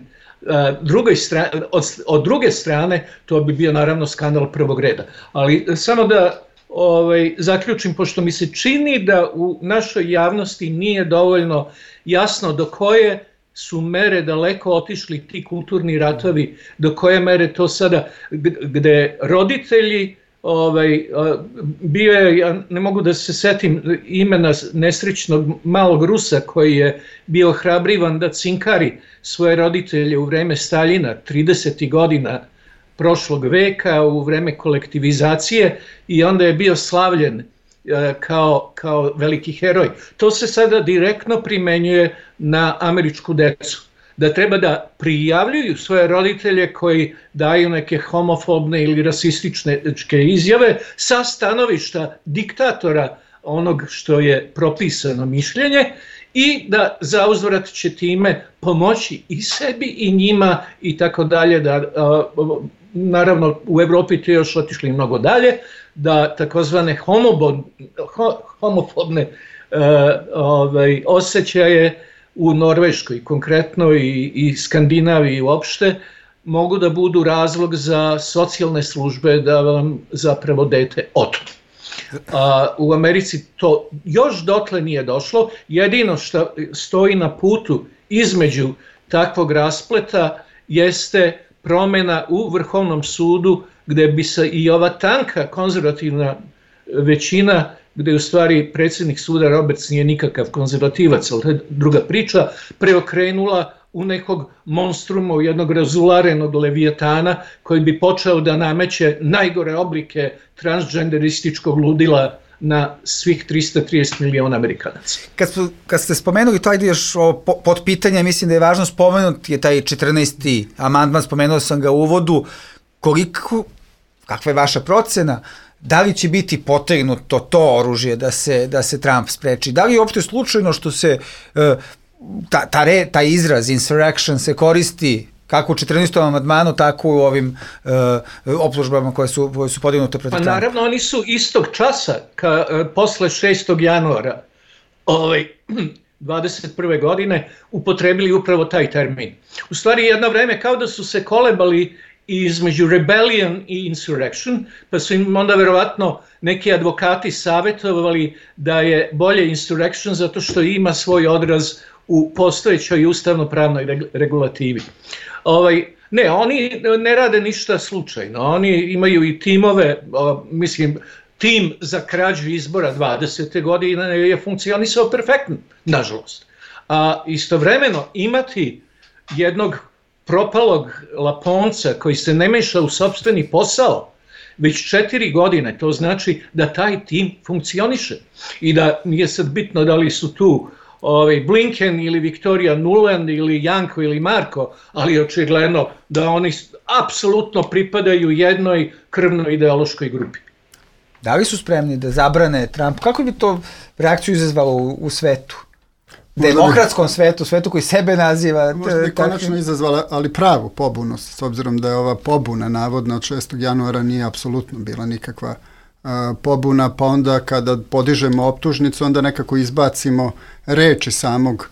od druge strane, to bi bio naravno skandal prvog reda. Ali samo da zaključim, pošto mi se čini da u našoj javnosti nije dovoljno jasno do koje su mere daleko otišli ti kulturni ratovi, do koje mere to sada, gde roditelji, bio je, ja ne mogu da se setim imena nesrećnog malog Rusa koji je bio hrabrivan da cinkari svoje roditelje u vreme Staljina 30. godina prošlog veka, u vreme kolektivizacije, i onda je bio slavljen kao veliki heroj. To se sada direktno primenjuje na američku decu. Da treba da prijavljuju svoje roditelje koji daju neke homofobne ili rasističke izjave sa stanovišta diktatora onog što je propisano mišljenje, i da zauzvrat će time pomoći i sebi i njima i tako dalje. Naravno, u Evropi to još otišli mnogo dalje, da takozvane homofobne osjećaje u Norveškoj konkretno i Skandinaviji uopšte mogu da budu razlog za socijalne službe da vam zapravo dete otmu. U Americi to još dotle nije došlo. Jedino što stoji na putu između takvog raspleta jeste promjena u Vrhovnom sudu, gde bi se i ova tanka konzervativna većina, gde u stvari predsjednik suda Roberts nije nikakav konzervativac, ali to je druga priča, preokrenula u nekog monstruma, u jednog razularenog levijatana koji bi počeo da nameće najgore oblike transgenderističkog ludila na svih 330 miliona Amerikanaca. Kad ste spomenuli to, ajde još pod pitanje, mislim da je važno spomenuti je taj 14. amandman, spomenuo sam ga u uvodu, kakva je vaša procena, da li će biti potegnuto to oružje da se Trump spreči? Da li je uopšte slučajno što se taj izraz insurrection se koristi kako u 14. amandmanu, tako u ovim optužbama koje su podignute protiv Trumpa? Naravno, oni su istog časa, posle 6. januara 21. godine, upotrebili upravo taj termin. U stvari, jedno vreme kao da su se kolebali između rebellion i insurrection, pa su im onda verovatno neki advokati savjetovali da je bolje insurrection zato što ima svoj odraz u postojećoj ustavno-pravnoj regulativi. Ne, oni ne rade ništa slučajno, oni imaju i timove, tim za krađu izbora 20. godine je funkcionisao perfektno, nažalost. A istovremeno imati jednog propalog Laponca koji se ne meša u sopstveni posao već 4 godine, to znači da taj tim funkcioniše i da nije sad bitno da li su tu Blinken ili Victoria Nuland ili Janko ili Marko, ali očigledno da oni apsolutno pripadaju jednoj krvnoj ideološkoj grupi. Da li su spremni da zabrane Trump? Kako bi to reakciju izazvalo u svetu? Demokratskom svetu, svetu koji sebe naziva... Možda bi konačno izazvala, ali pravu pobunu, s obzirom da je ova pobuna navodna od 6. januara nije apsolutno bila nikakva pobuna, pa onda kada podižemo optužnicu, onda nekako izbacimo reči samog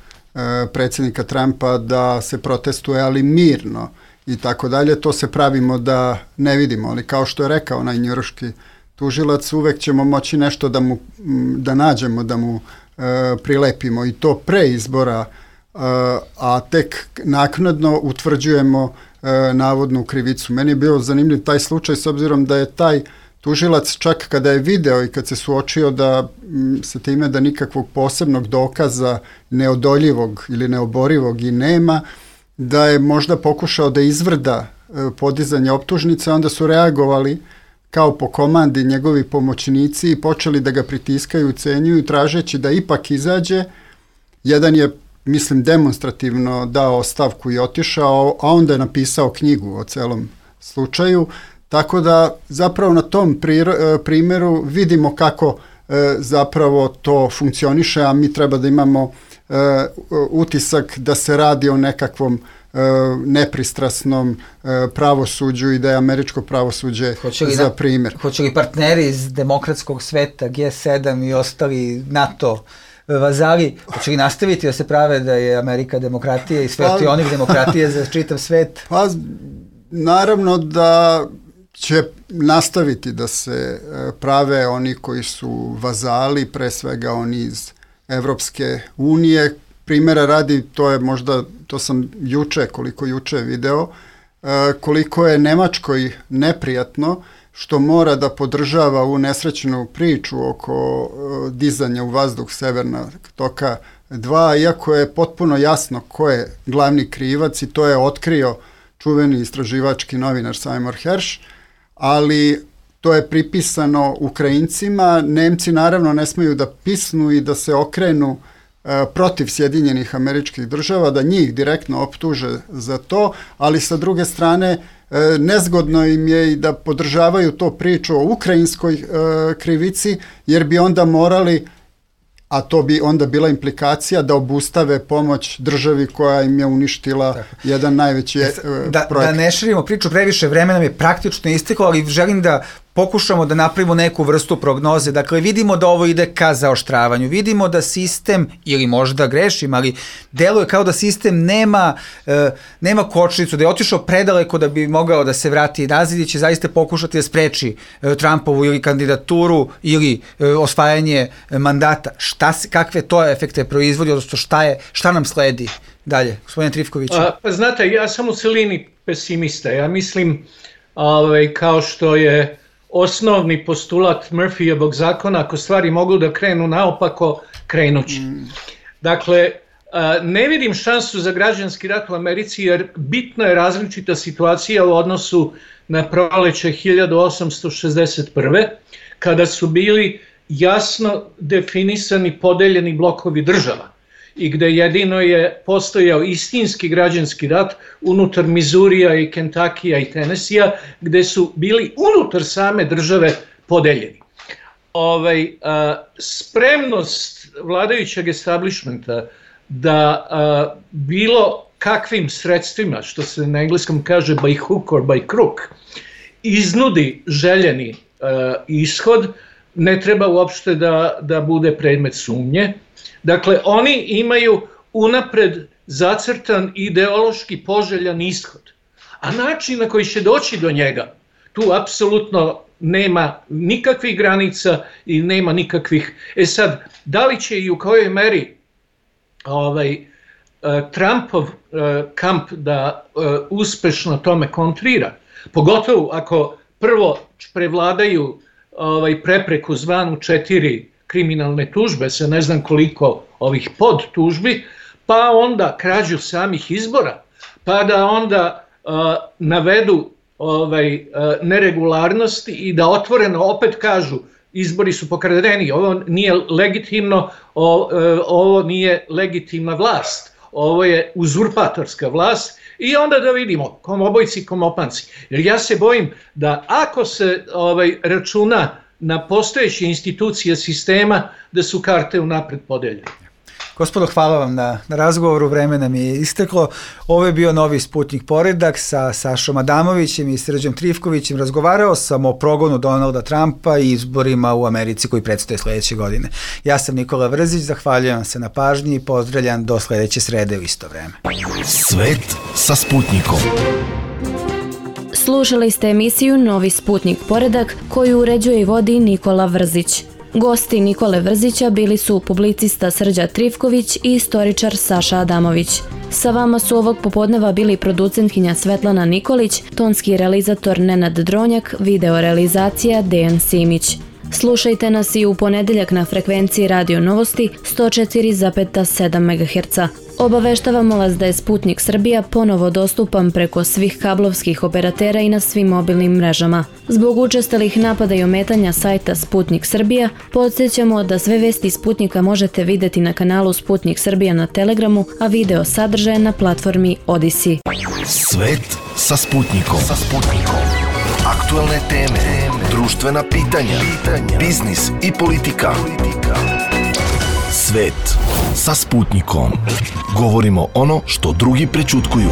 predsjednika Trumpa da se protestuje, ali mirno i tako dalje. To se pravimo da ne vidimo, ali kao što je rekao onaj njujorški tužilac, uvek ćemo moći nešto da nađemo, da mu prilepimo i to pre izbora, a tek naknadno utvrđujemo navodnu krivicu. Meni je bio zanimljiv taj slučaj s obzirom da je taj tužilac čak kada je video i kad se suočio da se time da nikakvog posebnog dokaza neodoljivog ili neoborivog i nema, da je možda pokušao da izvrda podizanje optužnice, onda su reagovali kao po komandi njegovi pomoćnici i počeli da ga pritiskaju, ucenjuju, tražeći da ipak izađe. Jedan je, mislim, demonstrativno dao ostavku i otišao, a onda je napisao knjigu o celom slučaju. Tako da zapravo na tom primjeru vidimo kako zapravo to funkcioniše, a mi treba da imamo utisak da se radi o nekakvom nepristrasnom pravosuđu i da je američko pravosuđe za primjer. Hoće li partneri iz demokratskog sveta, G7 i ostali NATO vazali, hoće li nastaviti da se prave da je Amerika demokratija i svetionik demokratije za čitav svet? Pa, naravno da će nastaviti da se prave oni koji su vazali, pre svega oni iz Evropske unije. Primjera radi, to sam koliko juče video, koliko je Nemačkoj neprijatno što mora da podržava ovu nesrećnu priču oko dizanja u vazduh Severnog toka 2, iako je potpuno jasno ko je glavni krivac i to je otkrio čuveni istraživački novinar Seymour Hersh, ali to je pripisano Ukrajincima. Nemci naravno ne smeju da pisnu i da se okrenu protiv Sjedinjenih Američkih Država, da njih direktno optuže za to, ali sa druge strane nezgodno im je i da podržavaju to priču o ukrajinskoj krivici, jer bi onda morali, a to bi onda bila implikacija, da obustave pomoć državi koja im je uništila jedan najveći projekt. Da ne širimo priču, previše vremena mi je praktično isteklo, ali želim da pokušamo da napravimo neku vrstu prognoze. Dakle, vidimo da ovo ide ka zaoštravanju. Vidimo da sistem, ili možda grešim, ali deluje kao da sistem nema kočnicu, da je otišao predaleko da bi mogao da se vrati nazad i će zaista pokušati da spreči Trumpovu ili kandidaturu ili osvajanje mandata. Kakve to efekte proizvodi, odnosno šta nam sledi dalje? Gospodine Trifković. Pa znate, ja sam u celini pesimista. Ja mislim, kao što je osnovni postulat Murphyjevog zakona, ako stvari mogu da krenu naopako, krenući. Dakle, ne vidim šansu za građanski rat u Americi, jer bitno je različita situacija u odnosu na proleće 1861. kada su bili jasno definisani podeljeni blokovi država i gde jedino je postojao istinski građanski rat unutar Mizurija i Kentakija i Tenesija, gde su bili unutar same države podeljeni. Spremnost vladajućeg establishmenta da bilo kakvim sredstvima, što se na engleskom kaže by hook or by crook, iznudi željeni ishod, ne treba uopšte da bude predmet sumnje. Dakle, oni imaju unapred zacrtan ideološki poželjan ishod, a način na koji će doći do njega, tu apsolutno nema nikakvih granica i nema nikakvih... Sad, da li će i u kojoj meri Trumpov kamp da uspešno tome kontrira, pogotovo ako prvo prevladaju prepreku zvanu 4 kriminalne tužbe sa ne znam koliko ovih podtužbi, pa onda krađu samih izbora, pa da onda navedu neregularnosti i da otvoreno opet kažu izbori su pokradeni, ovo nije legitimno, ovo nije legitimna vlast, ovo je uzurpatorska vlast i onda da vidimo komobojci, komopanci. Jer ja se bojim da ako se računa na postojeće institucije sistema, da su karte unapred podeljene. Gospodo, hvala vam na razgovoru, vreme nam je isteklo. Ovo je bio Novi Sputnik Poredak sa Sašom Adamovićem i Srđom Trifkovićem. Razgovarao sam o progonu Donalda Trumpa i izborima u Americi koji predstoje sledeće godine. Ja sam Nikola Vrzić, zahvaljujem se na pažnji i pozdravljam do sledeće srede u isto vreme. Svet sa Sputnikom. Slušali ste emisiju Novi Sputnik Poredak koju uređuje i vodi Nikola Vrzić. Gosti Nikole Vrzića bili su publicista Srđa Trifković i istoričar Saša Adamović. Sa vama su ovog popodneva bili producentkinja Svetlana Nikolić, tonski realizator Nenad Dronjak, video realizacija Dejan Simić. Slušajte nas i u ponedeljak na frekvenciji Radio Novosti 104,7 MHz. Obaveštavamo vas da je Sputnik Srbija ponovo dostupan preko svih kablovskih operatera i na svim mobilnim mrežama. Zbog učestalih napada i ometanja sajta Sputnik Srbija, podsjećamo da sve vesti Sputnika možete videti na kanalu Sputnik Srbija na Telegramu, a video sadržaje na platformi Odisi. Svet sa Sputnikom. Aktualne teme, društvena pitanja, biznis i politika. Svet sa Sputnikom. Govorimo ono što drugi prećutkuju.